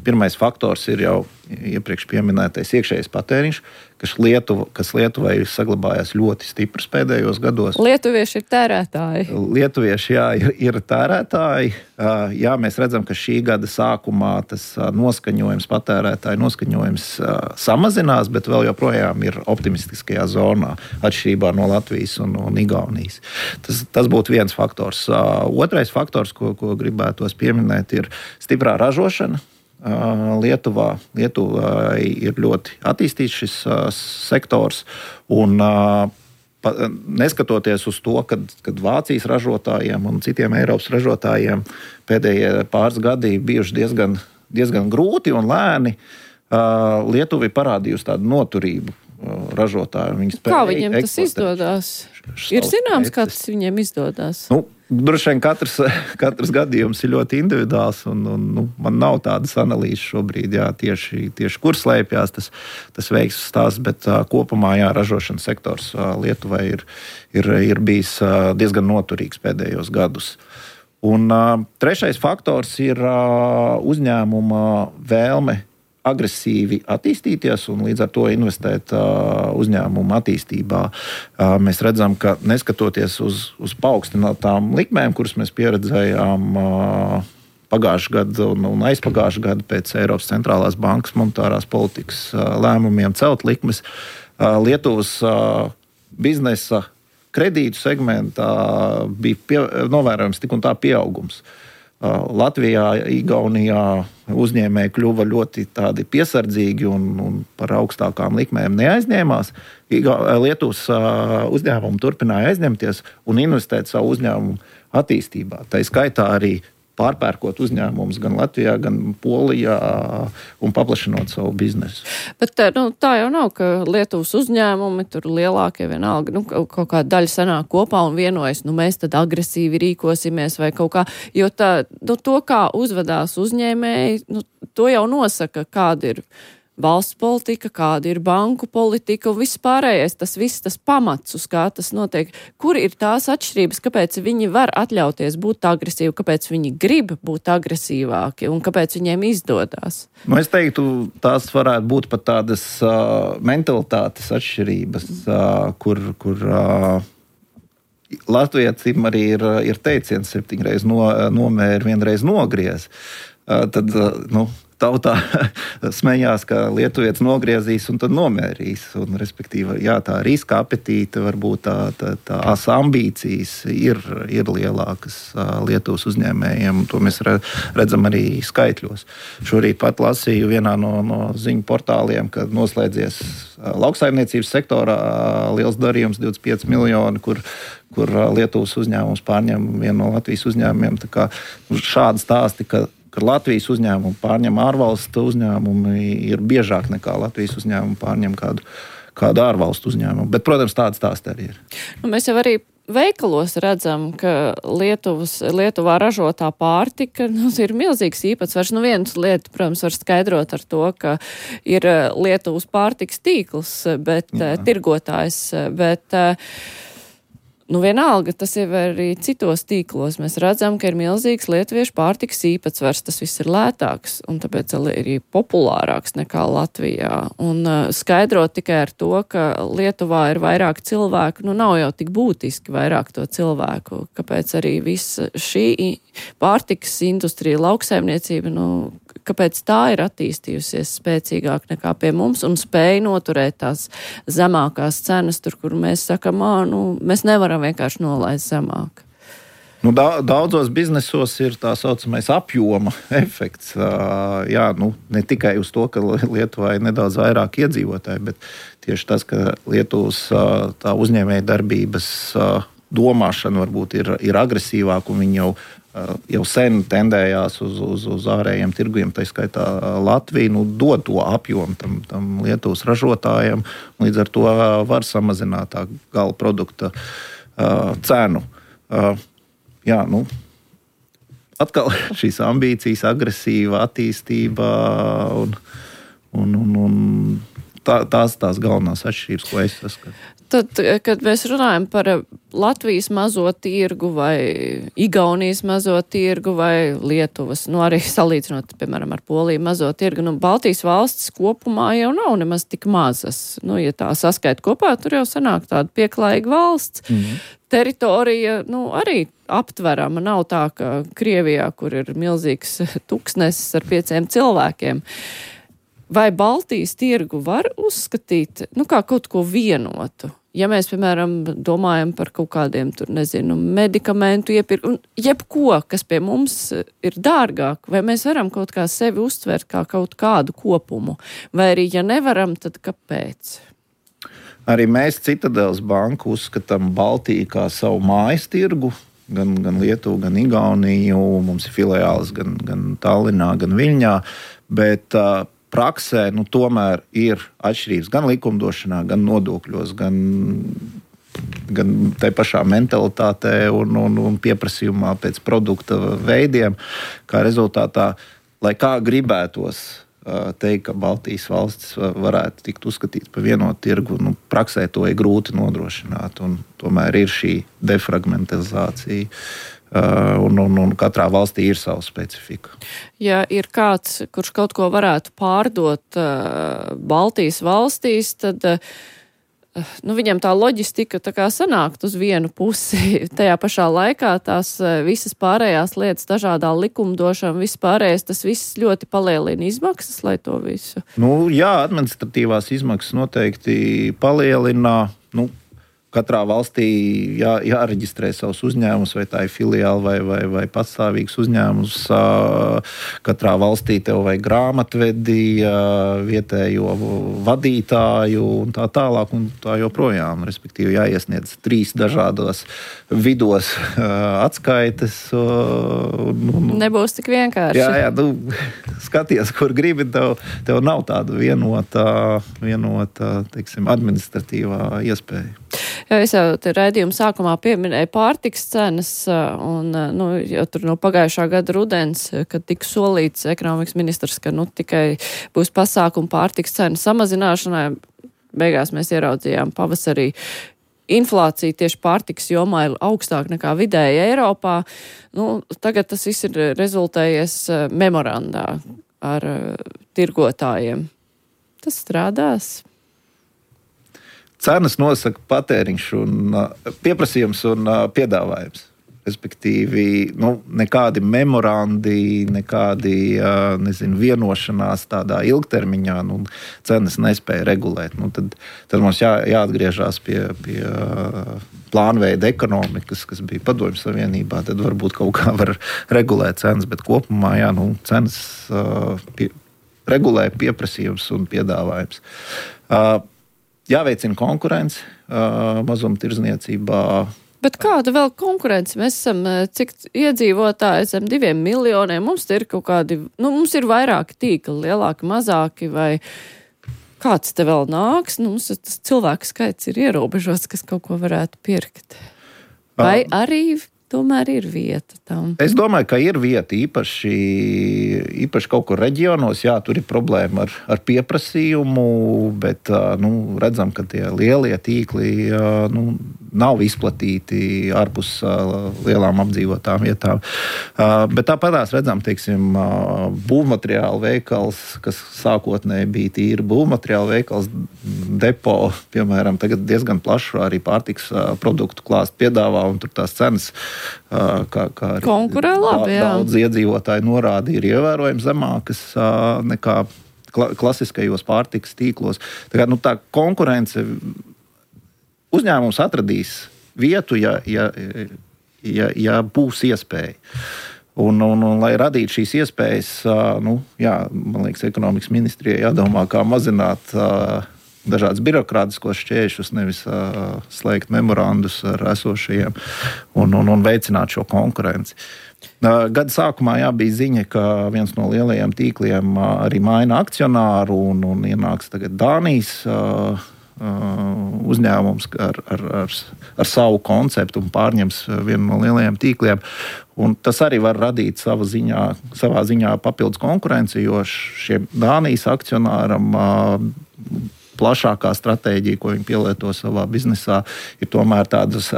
Speaker 3: Pirmais faktors ir jau iepriekš pieminētais iekšējais patēriņš, kas Lietuvai ir saglabājies ļoti stiprs pēdējos gados.
Speaker 2: Lietuvieši ir tērētāji.
Speaker 3: Lietuvieši, ir tērētāji. Mēs redzam, ka šī gada sākumā tas patērētāju noskaņojums samazinās, bet vēl joprojām ir optimistiskajā zonā, atšķirībā no Latvijas un Igaunijas. Tas būtu viens faktors. Otrais faktors, ko gribētos pieminēt, ir stiprā ražošana. Lietuvā ir ļoti attīstīts šis sektors, un neskatoties uz to, kad Vācijas ražotājiem un citiem Eiropas ražotājiem pēdējie pāris gadi bijuši diezgan grūti un lēni, Lietuva ir parādījusi tādu noturību ražotāju.
Speaker 2: Kā viņiem tas izdodas? Ir zināms, kā tas viņiem izdodas?
Speaker 3: Droši vien katrs gadījums ir ļoti individuāls, un man nav tādas analīzes šobrīd, tieši kur slēpjas tas veiksmes stāsts, bet kopumā ražošanas sektors Lietuvai ir bijis diezgan noturīgs pēdējos gadus. Un trešais faktors ir uzņēmuma vēlme agresīvi attīstīties un līdz ar to investēt uzņēmumu attīstībā. Mēs redzam, ka neskatoties uz paaugstinātām likmēm, kuras mēs pieredzējām pagājušā gada un aizpagājušā gada pēc Eiropas centrālās bankas monetārās politikas lēmumiem celt likmes, Lietuvas biznesa kredītu segmentā bija novērojams tik un tā pieaugums. Latvijā, Igaunijā uzņēmēji kļuva ļoti tādi piesardzīgi un par augstākām likmēm neaizņēmās. Lietuvas uzņēmumi turpināja aizņemties un investēt savu uzņēmumu attīstībā. Tā skaitā arī pārpērkot uzņēmumus gan Latvijā, gan Polijā un paplašinot savu biznesu.
Speaker 2: Bet tā jau nav, ka Lietuvas uzņēmumi tur lielākie vienalga, kaut kā daļa sanāk kopā un vienojas, mēs tad agresīvi rīkosimies vai kaut kā, jo to, kā uzvedās uzņēmēji, to jau nosaka, kāda ir valsts politika, kāda ir banku politika un viss pārējais, tas pamats, uz kā tas notiek. Kur ir tās atšķirības, kāpēc viņi var atļauties būt agresīvi, kāpēc viņi grib būt agresīvāki un kāpēc viņiem izdodas?
Speaker 3: Es teiktu, tās varētu būt pat tādas mentalitātes atšķirības, kur latviecim arī ir teiciens 7 reizes nomēr, 1 reiz nogriez. Tad, tautā smējās, ka lietuvietis nogriezīs un tad nomērīs. Un, respektīvi, tā riska apetīte, varbūt tās ambīcijas ir lielākas Lietuvas uzņēmējiem. To mēs redzam arī skaitļos. Šorīt pat lasīju vienā no ziņu portāliem, kad noslēdzies lauksaimniecības sektorā liels darījums 25 miljoni, kur Lietuvas uzņēmums pārņem vienu no Latvijas uzņēmumiem. Tā kā šādi stāsti, ka Latvijas uzņēmumu pārņem ārvalstu uzņēmumi, ir biežāk nekā Latvijas uzņēmumu pārņem kādu ārvalstu uzņēmumu. Bet, protams, tāds stāsts arī ir.
Speaker 2: Mēs jau arī veikalos redzam, ka Lietuvā ražotā pārtika ir milzīgs īpatsvars. Viena lieta, protams, var skaidrot ar to, ka ir Lietuvas pārtikas tīkls, bet tirgotājs, bet vienalga, tas ir arī citos tīklos. Mēs redzam, ka ir milzīgs lietuviešu pārtikas īpatsvars. Tas viss ir lētāks un tāpēc arī populārāks nekā Latvijā. Un skaidrot tikai ar to, ka Lietuvā ir vairāk cilvēku, nav jau tik būtiski vairāk to cilvēku. Kāpēc arī visa šī pārtikas industrija, lauksaimniecība, kāpēc tā ir attīstījusies spēcīgāk nekā pie mums un spēja noturēt tās zemākās cenas, tur, kur mēs sakam, mēs nevaram vienkārši nolaist zemāk.
Speaker 3: Daudzos biznesos ir tā saucamais apjoma efekts. Ne tikai uz to, ka Lietuvā ir nedaudz vairāk iedzīvotāji, bet tieši tas, ka Lietuvas tā uzņēmēja darbības domāšana varbūt ir agresīvāka un viņi jau sen tendējās uz ārējiem tirgiem, tā skaitā Latviju, dod to apjomu tam Lietuvas ražotājiem, līdz ar to var samazināt tā gala produkta cenu. Atkal šīs ambīcijas, agresīva attīstība un tās galvenās atšķirības, ko es saskatu.
Speaker 2: Tad, kad mēs runājam par Latvijas mazo tirgu vai Igaunijas mazo tirgu vai Lietuvas, arī salīdzinot, piemēram, ar Poliju mazo tirgu, Baltijas valstis kopumā jau nav nemaz tik mazas. Ja tā saskaita kopā, tur jau sanāk tāda pieklājīga valsts. Teritorija, arī aptverama. Nav tā, ka Krievijā, kur ir milzīgs tuksnesis ar 5 cilvēkiem. Vai Baltijas tirgu var uzskatīt, kā kaut ko vienotu? Ja mēs, piemēram, domājam par kaut kādiem, medikamentu iepirku, jebko, kas pie mums ir dārgāk, vai mēs varam kaut kā sevi uztvert kā kaut kādu kopumu? Vai arī, ja nevaram, tad kāpēc?
Speaker 3: Arī mēs Citadeles banku uzskatām Baltiju kā savu mājas tirgu. Gan Lietuvu, gan Igauniju. Mums ir filiālis gan Tallinā, gan Viļņā. Bet praksē tomēr ir atšķirības gan likumdošanā, gan nodokļos, gan tai pašā mentalitātē un pieprasījumā pēc produkta veidiem. Kā rezultātā, lai kā gribētos teikt, ka Baltijas valstis varētu tikt uzskatīts par vienotu tirgu, praksē to ir grūti nodrošināt. Un tomēr ir šī defragmentizācija. Un katrā valstī ir sava specifika.
Speaker 2: Ja ir kāds, kurš kaut ko varētu pārdot Baltijas valstīs, tad viņam tā loģistika tā kā sanākt uz vienu pusi. Tajā pašā laikā tās visas pārējās lietas, dažādā likumdošana, viss pārējais, tas viss ļoti palielina izmaksas, lai to visu.
Speaker 3: Jā, administratīvās izmaksas noteikti palielina. Katrā valstī jāreģistrē savus uzņēmumus, vai tā ir filiāli vai patstāvīgs uzņēmums. Katrā valstī tev vajag grāmatvedi, vietējo vadītāju un tā tālāk un tā joprojām. Respektīvi jāiesniedz 3 dažādos vidos atskaites.
Speaker 2: Nebūs tik vienkārši.
Speaker 3: Jā, skaties, kur gribi, tev nav tāda vienota teiksim, administratīvā iespēja.
Speaker 2: Jā, es jau te raidījuma sākumā pieminēju pārtiks cenas, un jau tur no pagājušā gada rudens, kad tika solīts ekonomikas ministrs, ka tikai būs pasākumi pārtiks cenu samazināšanai. Beigās mēs ieraudzījām pavasarī inflācija tieši pārtiks jomā ir augstāka nekā vidēji Eiropā. Tagad tas viss ir rezultējies memorandā ar tirgotājiem. Tas strādās.
Speaker 3: Cenas nosaka patēriņš un pieprasījums un piedāvājums. Respektīvi, nekādi memorandi, nekādi vienošanās tādā ilgtermiņā cenas nespēja regulēt. Tad mums jāatgriežas pie plānveida ekonomikas, kas bija Padomju Savienībā. Tad varbūt kaut kā var regulēt cenas, bet kopumā cenas regulē pieprasījums un piedāvājums. Jāveicina konkurence mazumtirdzniecībā.
Speaker 2: Bet kāda vēl konkurence? Mēs esam, cik iedzīvotāji, esam 2 miljoniem, mums ir kaut kādi, mums ir vairāki tīkli, lielāki, mazāki, vai kāds te vēl nāks? Mums tas cilvēku skaits ir ierobežots, kas kaut ko varētu pirkt. Vai arī tomēr ir vieta tam?
Speaker 3: Es domāju, ka ir vieta īpaši kaut kur reģionos. Jā, tur ir problēma ar pieprasījumu, bet redzam, ka tie lielie tīkli nav izplatīti ārpus lielām apdzīvotām vietām. Bet tāpatās redzam, teiksim, būvmateriālu veikals, kas sākotnēji bija tīri būvmateriālu veikals, depo, piemēram, tagad diezgan plašu arī pārtiks produktu klāstu piedāvā, un tur tās cenas, kā arī
Speaker 2: konkurē labi,
Speaker 3: daudz iedzīvotāji norāda, ir ievērojami zemākas nekā klasiskajos pārtikas tīklos. Tā konkurence uzņēmums atradīs vietu, ja būs iespēja. Un, lai radītu šīs iespējas, man liekas, ekonomikas ministrijai jādomā, kā mazināt dažādas birokrātiskos šķēršļus, nevis slēgt memorandus ar esošajiem un veicināt šo konkurenci. Gada sākumā bija ziņa, ka viens no lielajiem tīkliem arī maina akcionāru un ienāks tagad Dānijas uzņēmums ar savu konceptu un pārņems vienu no lielajiem tīkliem. Un tas arī var radīt savā ziņā papildus konkurenci, jo šiem Dānijas akcionāram plašākā stratēģija, ko viņi pielieto savā biznesā, ir tomēr tādas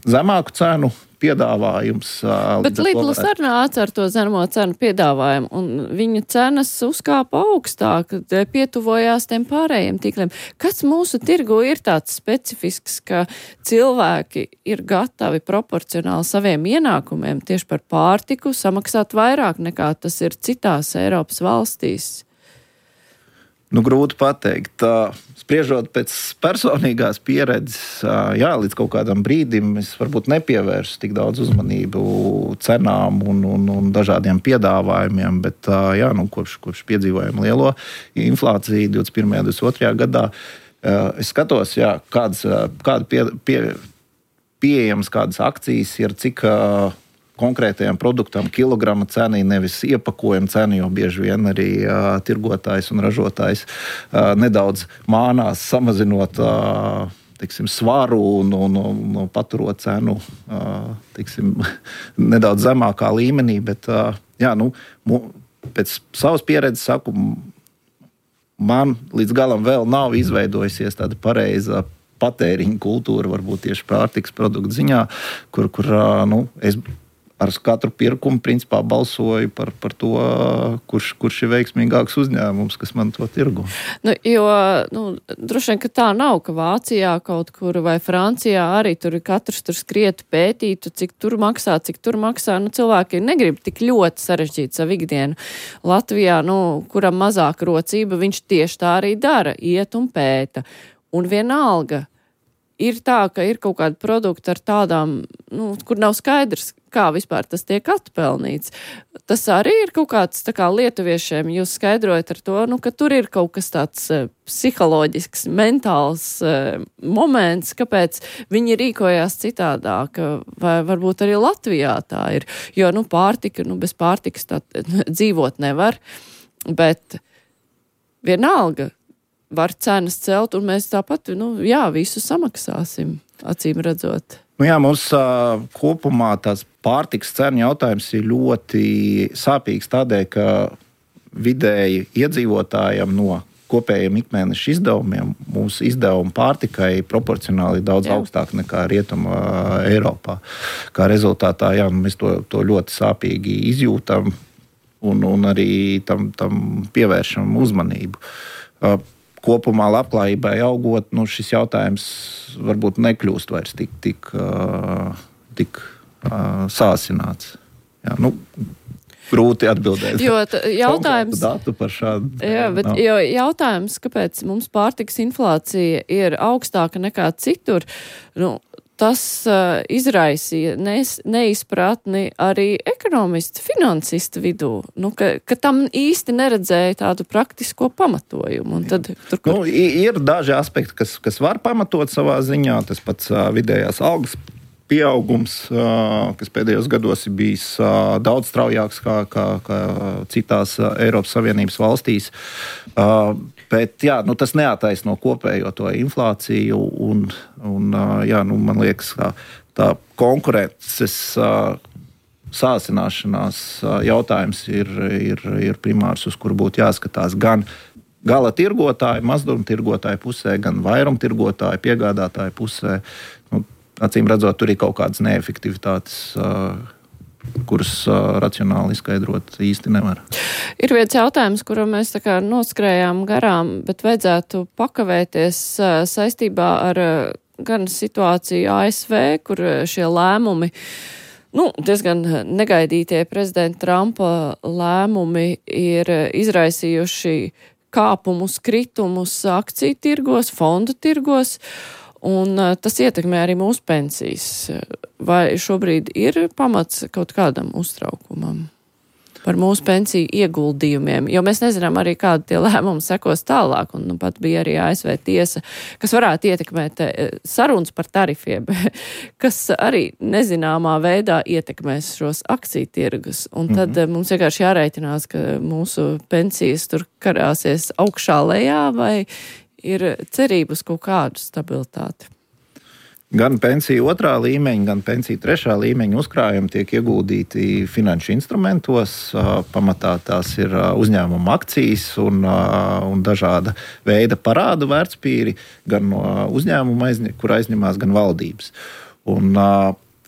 Speaker 3: zemāku cenu piedāvājums.
Speaker 2: Bet Lidls arī nāca ar to zemo cenu piedāvājumu, un viņa cenas uzkāpa augstāk, pietuvojās tiem pārējiem tīkliem. Kas mūsu tirgu ir tāds specifisks, ka cilvēki ir gatavi proporcionāli saviem ienākumiem tieši par pārtiku samaksāt vairāk nekā tas ir citās Eiropas valstīs?
Speaker 3: Grūti pateikt. Spriežot pēc personīgās pieredzes, līdz kaut kādam brīdim es varbūt nepievērsu tik daudz uzmanību cenām un dažādiem piedāvājumiem, bet kopš piedzīvojam lielo inflāciju 21. un 22. gadā, Es skatos, kāda pieejams, kādas akcijas ir, cik konkrētajam produktam kilograma cena, nevis iepakojuma cena, jo bieži vien arī tirgotājs un ražotājs nedaudz mānās samazinot svaru un paturot cenu nedaudz zemākā līmenī, bet pēc savas pieredzes saku, man līdz galam vēl nav izveidojusies tāda pareiza patēriņa kultūra, varbūt tieši pārtikas produktu ziņā, kur es ar katru pirkumu principā balsoju par to, kurš ir veiksmīgāks uzņēmums, kas man to tirgo.
Speaker 2: Droši vien, ka tā nav, ka Vācijā kaut kur vai Francijā arī tur katrs skrietu pētītu, cik tur maksā. Cilvēki negrib tik ļoti sarežģīt savu ikdienu. Latvijā, kuram mazāk rocība, viņš tieši tā arī dara, iet un pēta. Un vienalga ir tā, ka ir kaut kādi produkti ar tādām, kur nav skaidrs, kā vispār tas tiek atpelnīts. Tas arī ir kaut kāds lietuviešiem, jūs skaidrojat ar to, ka tur ir kaut kas tāds psiholoģisks, mentāls moments, kāpēc viņi rīkojās citādāk, vai varbūt arī Latvijā tā ir. Jo, pārtika, bez pārtikas tā dzīvot nevar, bet vienalga, var cenas celt, un mēs tāpat, visu samaksāsim, acīm redzot.
Speaker 3: Mums kopumā tās pārtikas cenu jautājums ir ļoti sāpīgs tādēļ, ka vidēji iedzīvotājiem no kopējiem ikmēneša izdevumiem mūsu izdevumi pārtikai proporcionāli daudz augstāk nekā Rietuma Eiropā. Kā rezultātā, mēs to ļoti sāpīgi izjūtam un arī tam pievēršam uzmanību. Kopumā labklājībai augot, šis jautājums varbūt nekļūst vairs tik sāsināts. Grūti atbildēt.
Speaker 2: Jo jautājums,
Speaker 3: datu par šādu.
Speaker 2: Jo jautājums, kāpēc mums pārtikas inflācija ir augstāka nekā citur, tas izraisīja neizpratni arī ekonomistu, finansistu vidū, ka tam īsti neredzēja tādu praktisko pamatojumu. Un tad,
Speaker 3: ir daži aspekti, kas var pamatot savā ziņā, tas pats vidējās algas pieaugums, kas pēdējos gados ir bijis daudz straujāks kā citās Eiropas Savienības valstīs. Bet tas neataisno kopējo to inflāciju un man liekas, ka tā konkurences sāsināšanās jautājums ir primārs, uz kuru būtu jāskatās gan gala tirgotāju, mazdumtirgotāju pusē, gan vairumtirgotāju, piegādātāju pusē. Acīm redzot, tur ir kaut kādas neefektivitātes, kuras racionāli izskaidrot īsti nevar.
Speaker 2: Ir viens jautājums, kuru mēs noskrējām garām, bet vajadzētu pakavēties saistībā ar gan situāciju ASV, kur šie lēmumi, diezgan negaidītie prezidenta Trumpa lēmumi ir izraisījuši kāpumus, kritumus akciju tirgos, fondu tirgos, un tas ietekmē arī mūsu pensijas. Vai šobrīd ir pamats kaut kādam uztraukumam par mūsu pensiju ieguldījumiem? Jo mēs nezinām arī, kādi tie lēmumi sekos tālāk, un pat bija arī ASV tiesa, kas varētu ietekmēt sarunas par tarifiem, kas arī nezināmā veidā ietekmēs šos akciju tirgus. Un tad mums vienkārši jārēķinās, ka mūsu pensijas tur karāsies augšā lejā, vai ir cerības kaut kādu stabilitāti?
Speaker 3: Gan pensiju 2. līmeņa, gan pensiju 3. līmeņa uzkrājumi tiek ieguldīti finanšu instrumentos. Pamatā tās ir uzņēmuma akcijas un dažāda veida parādu vērtspapīri, gan no uzņēmuma, kur aizņemās, gan valdības. Un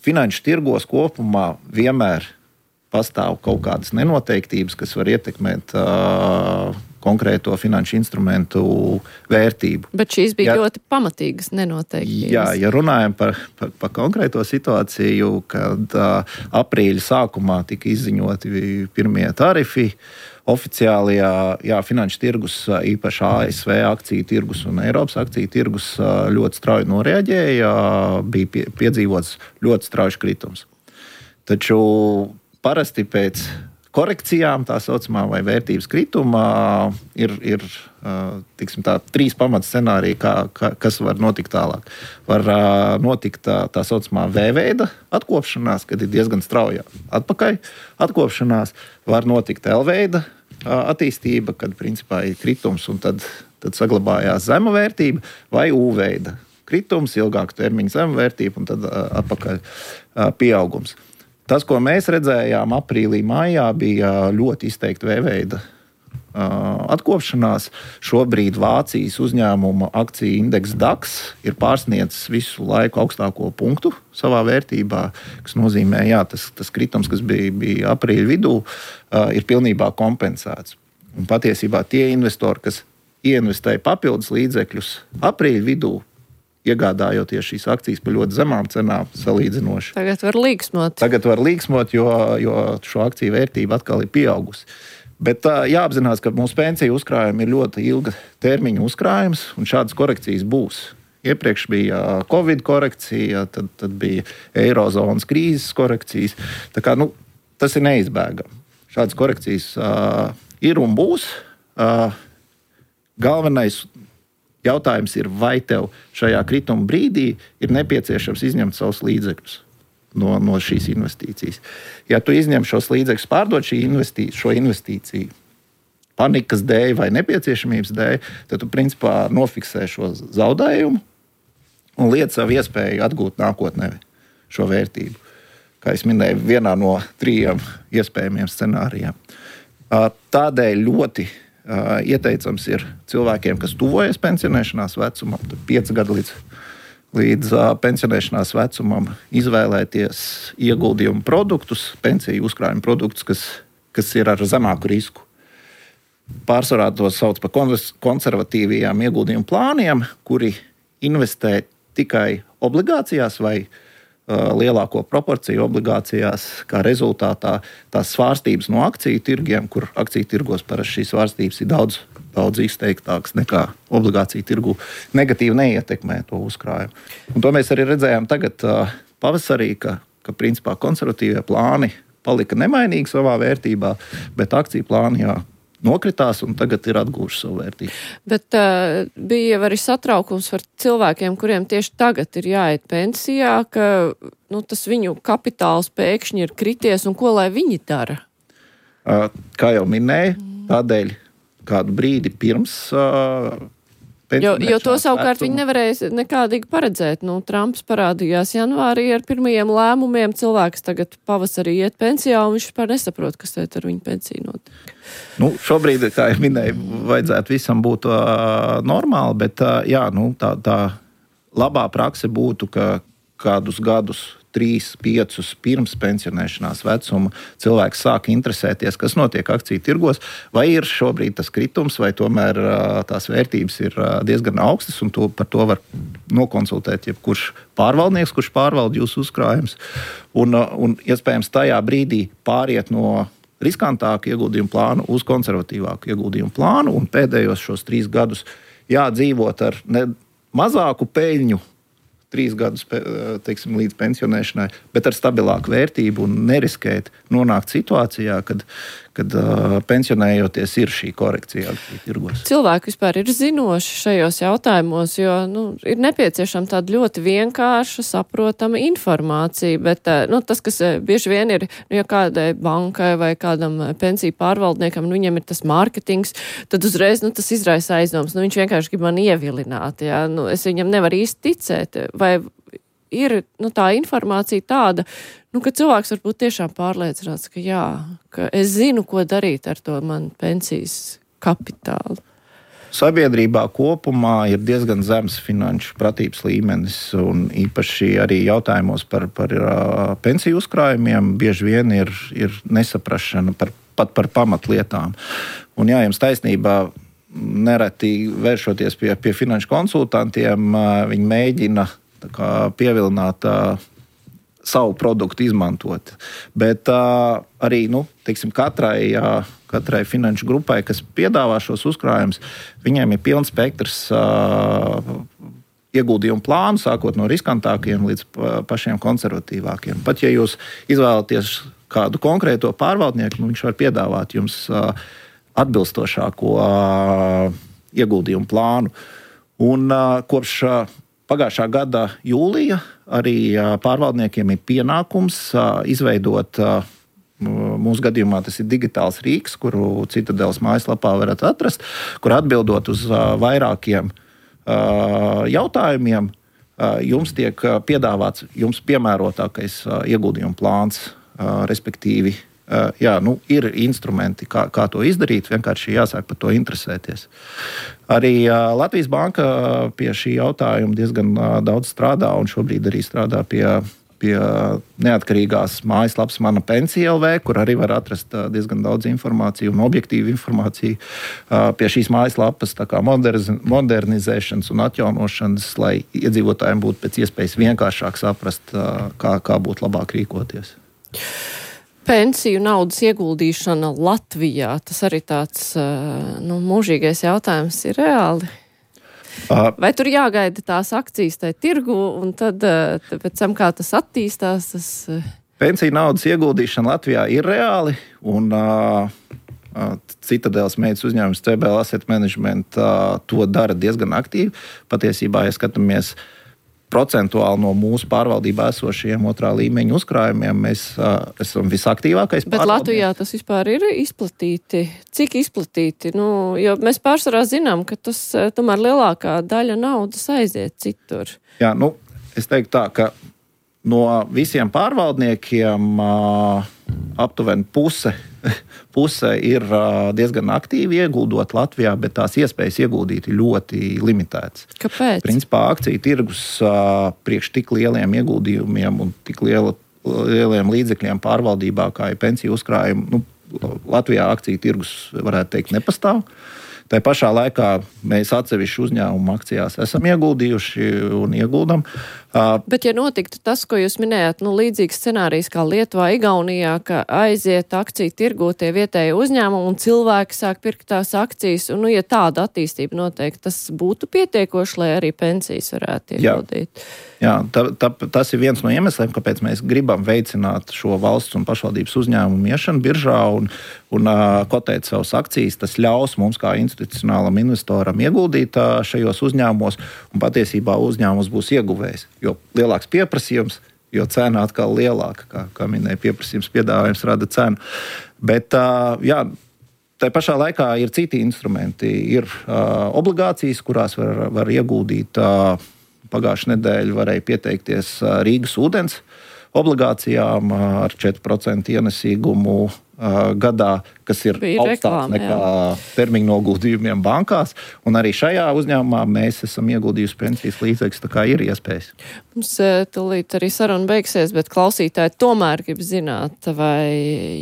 Speaker 3: finanšu tirgos kopumā vienmēr pastāv kaut kādas nenoteiktības, kas var ietekmēt konkrēto finanšu instrumentu vērtību.
Speaker 2: Bet šīs bija ļoti pamatīgas nenoteiktības.
Speaker 3: Ja runājam par konkrēto situāciju, kad aprīļa sākumā tika izziņoti pirmie tarifi, oficiālajā finanšu tirgus, īpaši ASV akciju tirgus un Eiropas akciju tirgus ļoti strauji noreaģēja, bija piedzīvots ļoti strauji kritums. Taču parasti pēc korekcijām, tā saucamā, vai vērtības kritumā, ir tiksim, tā, 3 pamatscenāriji, kas var notikt tālāk. Var notikt tā saucamā V-veida atkopšanās, kad ir diezgan strauja atpakaļ atkopšanās. Var notikt L-veida attīstība, kad principā ir kritums un tad saglabājās zema vērtība, vai U-veida kritums, ilgāku termiņu zema vērtība un tad atpakaļ pieaugums. Tas, ko mēs redzējām aprīlī, mājā, bija ļoti izteikti V-veida atkopšanās. Šobrīd Vācijas uzņēmuma akciju indeks DAX ir pārsniedzis visu laiku augstāko punktu savā vērtībā, kas nozīmē, tas kritums, kas bija aprīļa vidū, ir pilnībā kompensēts. Un patiesībā tie investori, kas ieinvestēja papildus līdzekļus aprīļa vidū, iegādājoties šīs akcijas par ļoti zemām cenām salīdzinoši.
Speaker 2: Tagad var
Speaker 3: līksmot, jo šo akciju vērtība atkal ir pieaugusi. Bet jāapzinās, ka mūsu pensiju uzkrājumi ir ļoti ilga termiņa uzkrājums, un šādas korekcijas būs. Iepriekš bija Covid korekcija, tad bija Eirozonas krīzes korekcijas. Tā kā, tas ir neizbēgami. Šādas korekcijas ir un būs. Galvenais jautājums ir, vai tev šajā krituma brīdī ir nepieciešams izņemt savus līdzekļus no šīs investīcijas. Ja tu izņem šos līdzekļus, pārdod šo investīciju panikas dēļ vai nepieciešamības dēļ, tad tu principā nofiksē šo zaudējumu un liec savu iespēju atgūt nākotnē šo vērtību. Kā es minēju, vienā no 3 iespējamiem scenārijiem. Tādēļ ļoti ieteicams ir cilvēkiem, kas tuvojas pensionēšanās vecumam, 5 gadu līdz pensionēšanās vecumam, izvēlēties ieguldījumu produktus, pensiju uzkrājumu produktus, kas ir ar zemāku risku. Pārsvarā to sauc par konservatīvajiem ieguldījumu plāniem, kuri investē tikai obligācijās vai lielāko proporciju obligācijās, kā rezultātā tās svārstības no akciju tirgiem, kur akciju tirgos parasti šīs svārstības ir daudz izteiktākas nekā obligāciju tirgu, negatīvi neietekmē to uzkrājumu. Un to mēs arī redzējām tagad pavasarī, ka principā konservatīvie plāni palika nemainīgi savā vērtībā, bet akciju plāni nokritās un tagad ir atgūši savu vērtību.
Speaker 2: Bet bija arī satraukums par cilvēkiem, kuriem tieši tagad ir jāiet pensijā, ka tas viņu kapitāls pēkšņi ir krities un ko lai viņi dara?
Speaker 3: Kā jau minēju, tādēļ kādu brīdi pirms
Speaker 2: Jo to savukārt viņi nevarēja nekādīgi paredzēt. Trumps parādījās janvārī ar pirmajiem lēmumiem. Cilvēks tagad pavasarī iet pensijā un viņš vispār nesaprot, kas ar viņu pensiju notiek.
Speaker 3: Šobrīd, kā jau minēju, vajadzētu visam būt normāli, bet tā labā prakse būtu, ka kādus gadus 3, 5 pirms pensionēšanās vecuma cilvēks sāk interesēties, kas notiek akciju tirgos, vai ir šobrīd tas kritums, vai tomēr tās vērtības ir diezgan augstas, un par to var nokonsultēt jebkurš pārvaldnieks, kurš pārvalda jūsu uzkrājumus, un iespējams tajā brīdī pāriet no riskantāku ieguldījumu plānu uz konservatīvāku ieguldījumu plānu, un pēdējos šos 3 gadus dzīvot ar mazāku peļņu, 3 gadus, teiksim, līdz pensionēšanai, bet ar stabilāku vērtību un neriskēt nonākt situācijā, kad pensionējoties ir šī korekcija tirgos.
Speaker 2: Cilvēki vispār ir zinoši šajos jautājumos, jo ir nepieciešama tāda ļoti vienkārša, saprotama informācija, bet tas, kas bieži vien ir, ja kādai bankai vai kādam pensiju pārvaldniekam, viņam ir tas mārketings, tad uzreiz tas izraisa aizdoms. Viņš vienkārši grib man ievilināt. Es viņam nevaru īsti ticēt. Vai ir tā informācija tāda, ka cilvēks var būt tiešām pārliecināts, ka es zinu, ko darīt ar to man pensijas kapitālu.
Speaker 3: Sabiedrībā kopumā ir diezgan zems finanšu pratības līmenis, un īpaši arī jautājumos par pensiju uzkrājumiem bieži vien ir nesaprašana pat par pamatlietām. Un jums taisnībā, nereti vēršoties pie finanšu konsultantiem, viņi mēģina pievilināt savu produktu izmantot. Bet arī, teiksim, katrai finanšu grupai, kas piedāvā šos uzkrājumus, viņiem ir pilns spektrs ieguldījumu plānu, sākot no riskantākiem līdz pašiem konservatīvākiem. Pat ja jūs izvēlaties kādu konkrēto pārvaldnieku, viņš var piedāvāt jums atbilstošāko ieguldījumu plānu. Un kopš pagājušā gada jūlija arī pārvaldniekiem ir pienākums izveidot, mūsu gadījumā tas ir digitāls rīks, kuru Citadeles mājaslapā varat atrast, kur atbildot uz vairākiem jautājumiem, jums tiek piedāvāts jums piemērotākais ieguldījuma plāns, respektīvi, ir instrumenti, kā to izdarīt, vienkārši jāsāk par to interesēties. Arī Latvijas Banka pie šī jautājuma diezgan daudz strādā un šobrīd arī strādā pie neatkarīgās mājaslapas Mana Pensija LV, kur arī var atrast diezgan daudz informāciju un objektīvu informāciju pie šīs mājaslapas, tā kā modernizēšanas un atjaunošanas, lai iedzīvotājiem būtu pēc iespējas vienkāršāk saprast, kā būtu labāk rīkoties.
Speaker 2: Pensiju naudas ieguldīšana Latvijā, tas arī tāds mūžīgais jautājums ir reāli. Vai tur jāgaida tās akcijas tai tirgu un tad pēc tam, kā tas attīstās?
Speaker 3: Pensiju naudas ieguldīšana Latvijā ir reāli un Citadeles meitas uzņēmums CBL Asset Management to dara diezgan aktīvi. Patiesībā, ja skatāmies procentuāli no mūsu pārvaldībā esošajiem otrā līmeņa uzkrājumiem, mēs esam visaktīvākais pārvaldnieks.
Speaker 2: Bet Latvijā tas vispār ir izplatīti? Cik izplatīti? Jo mēs pārsvarā zinām, ka tas tomēr lielākā daļa naudas aiziet citur.
Speaker 3: Jā, es teiktu tā, ka no visiem pārvaldniekiem aptuveni puse ir diezgan aktīvi ieguldot Latvijā, bet tās iespējas ieguldīt ir ļoti limitētas.
Speaker 2: Kāpēc?
Speaker 3: Principā akciju tirgus priekš tik lieliem ieguldījumiem un tik lieliem līdzekļiem pārvaldībā, kā ir pensiju uzkrājumi, Latvijā akciju tirgus, varētu teikt, nepastāv. Tā pašā laikā mēs atsevišķu uzņēmumu akcijās esam ieguldījuši un ieguldam.
Speaker 2: Bet, ja notiktu tas, ko jūs minējāt, līdzīgs scenārijs kā Lietuvā, Igaunijā, ka aiziet akciju tirgū tie vietēji uzņēmumi un cilvēki sāk pirkt tās akcijas, un, ja tāda attīstība notiek, tas būtu pietiekoši, lai arī pensijas varētu ieguldīt.
Speaker 3: Jā, tas ir viens no iemesliem, kāpēc mēs gribam veicināt šo valsts un pašvaldības uzņēmumu iešanu biržā un kotēt savas akcijas. Tas ļaus mums kā institucionālam investoram ieguldīt šajos uzņēmumos, un patiesībā uzņēmums būs ieguvējs, jo lielāks pieprasījums, jo cena atkal lielāka, kā minēja, pieprasījums piedāvājums rada cenu. Bet, tā pašā laikā ir citi instrumenti, ir obligācijas, kurās var ieguldīt. Pagājušajā nedēļā varēja pieteikties Rīgas ūdens obligācijām ar 4% ienesīgumu gadā, kas ir augstāks nekā termiņu noguldījumiem bankās. Un arī šajā uzņēmumā mēs esam ieguldījuši pensijas līdzekļus, tā kā ir iespējas.
Speaker 2: Mums tūlīt arī saruna beigsies, bet klausītāji tomēr grib zināt, vai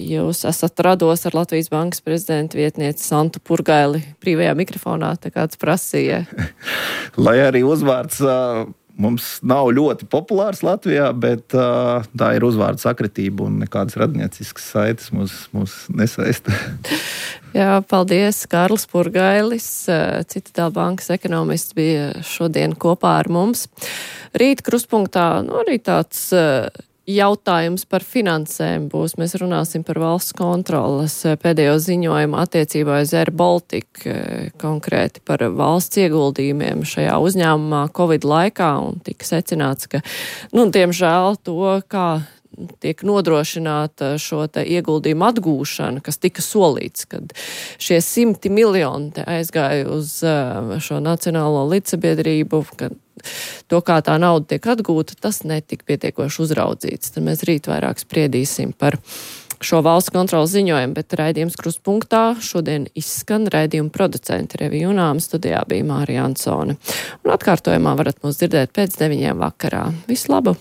Speaker 2: jūs esat rados ar Latvijas Bankas prezidenta vietnieci Santu Purgaili brīvajā mikrofonā, tā kāds prasīja.
Speaker 3: Lai arī uzvārds mums nav ļoti populārs Latvijā, bet tā ir uzvārdu sakritība un nekādas radnieciskas saites mūs nesaista.
Speaker 2: Jā, paldies. Kārlis Purgailis, Citadeles bankas ekonomists, bija šodien kopā ar mums. Rīt krustpunktā arī tāds jautājums par finansēm būs. Mēs runāsim par valsts kontroles pēdējo ziņojumu attiecībā uz Air Baltic, konkrēti par valsts ieguldījumiem šajā uzņēmumā Covid laikā, un tika secināts, ka, diemžēl to, kā tiek nodrošināta šo te ieguldījumu atgūšana, kas tika solīts, kad šie 100 miljoni aizgāja uz šo nacionālo līdzsabiedrību, kad to, kā tā nauda tiek atgūta, tas netika pietiekoši uzraudzīts. Tad mēs rīt vairāk spriedīsim par šo valsts kontrolas ziņojumu, bet raidījums krustpunktā šodien izskan. Raidījuma producenti Revija Junām, studijā bija Mārija Ansone. Un atkārtojumā varat mūs dzirdēt pēc 9 vakarā. Visu labu!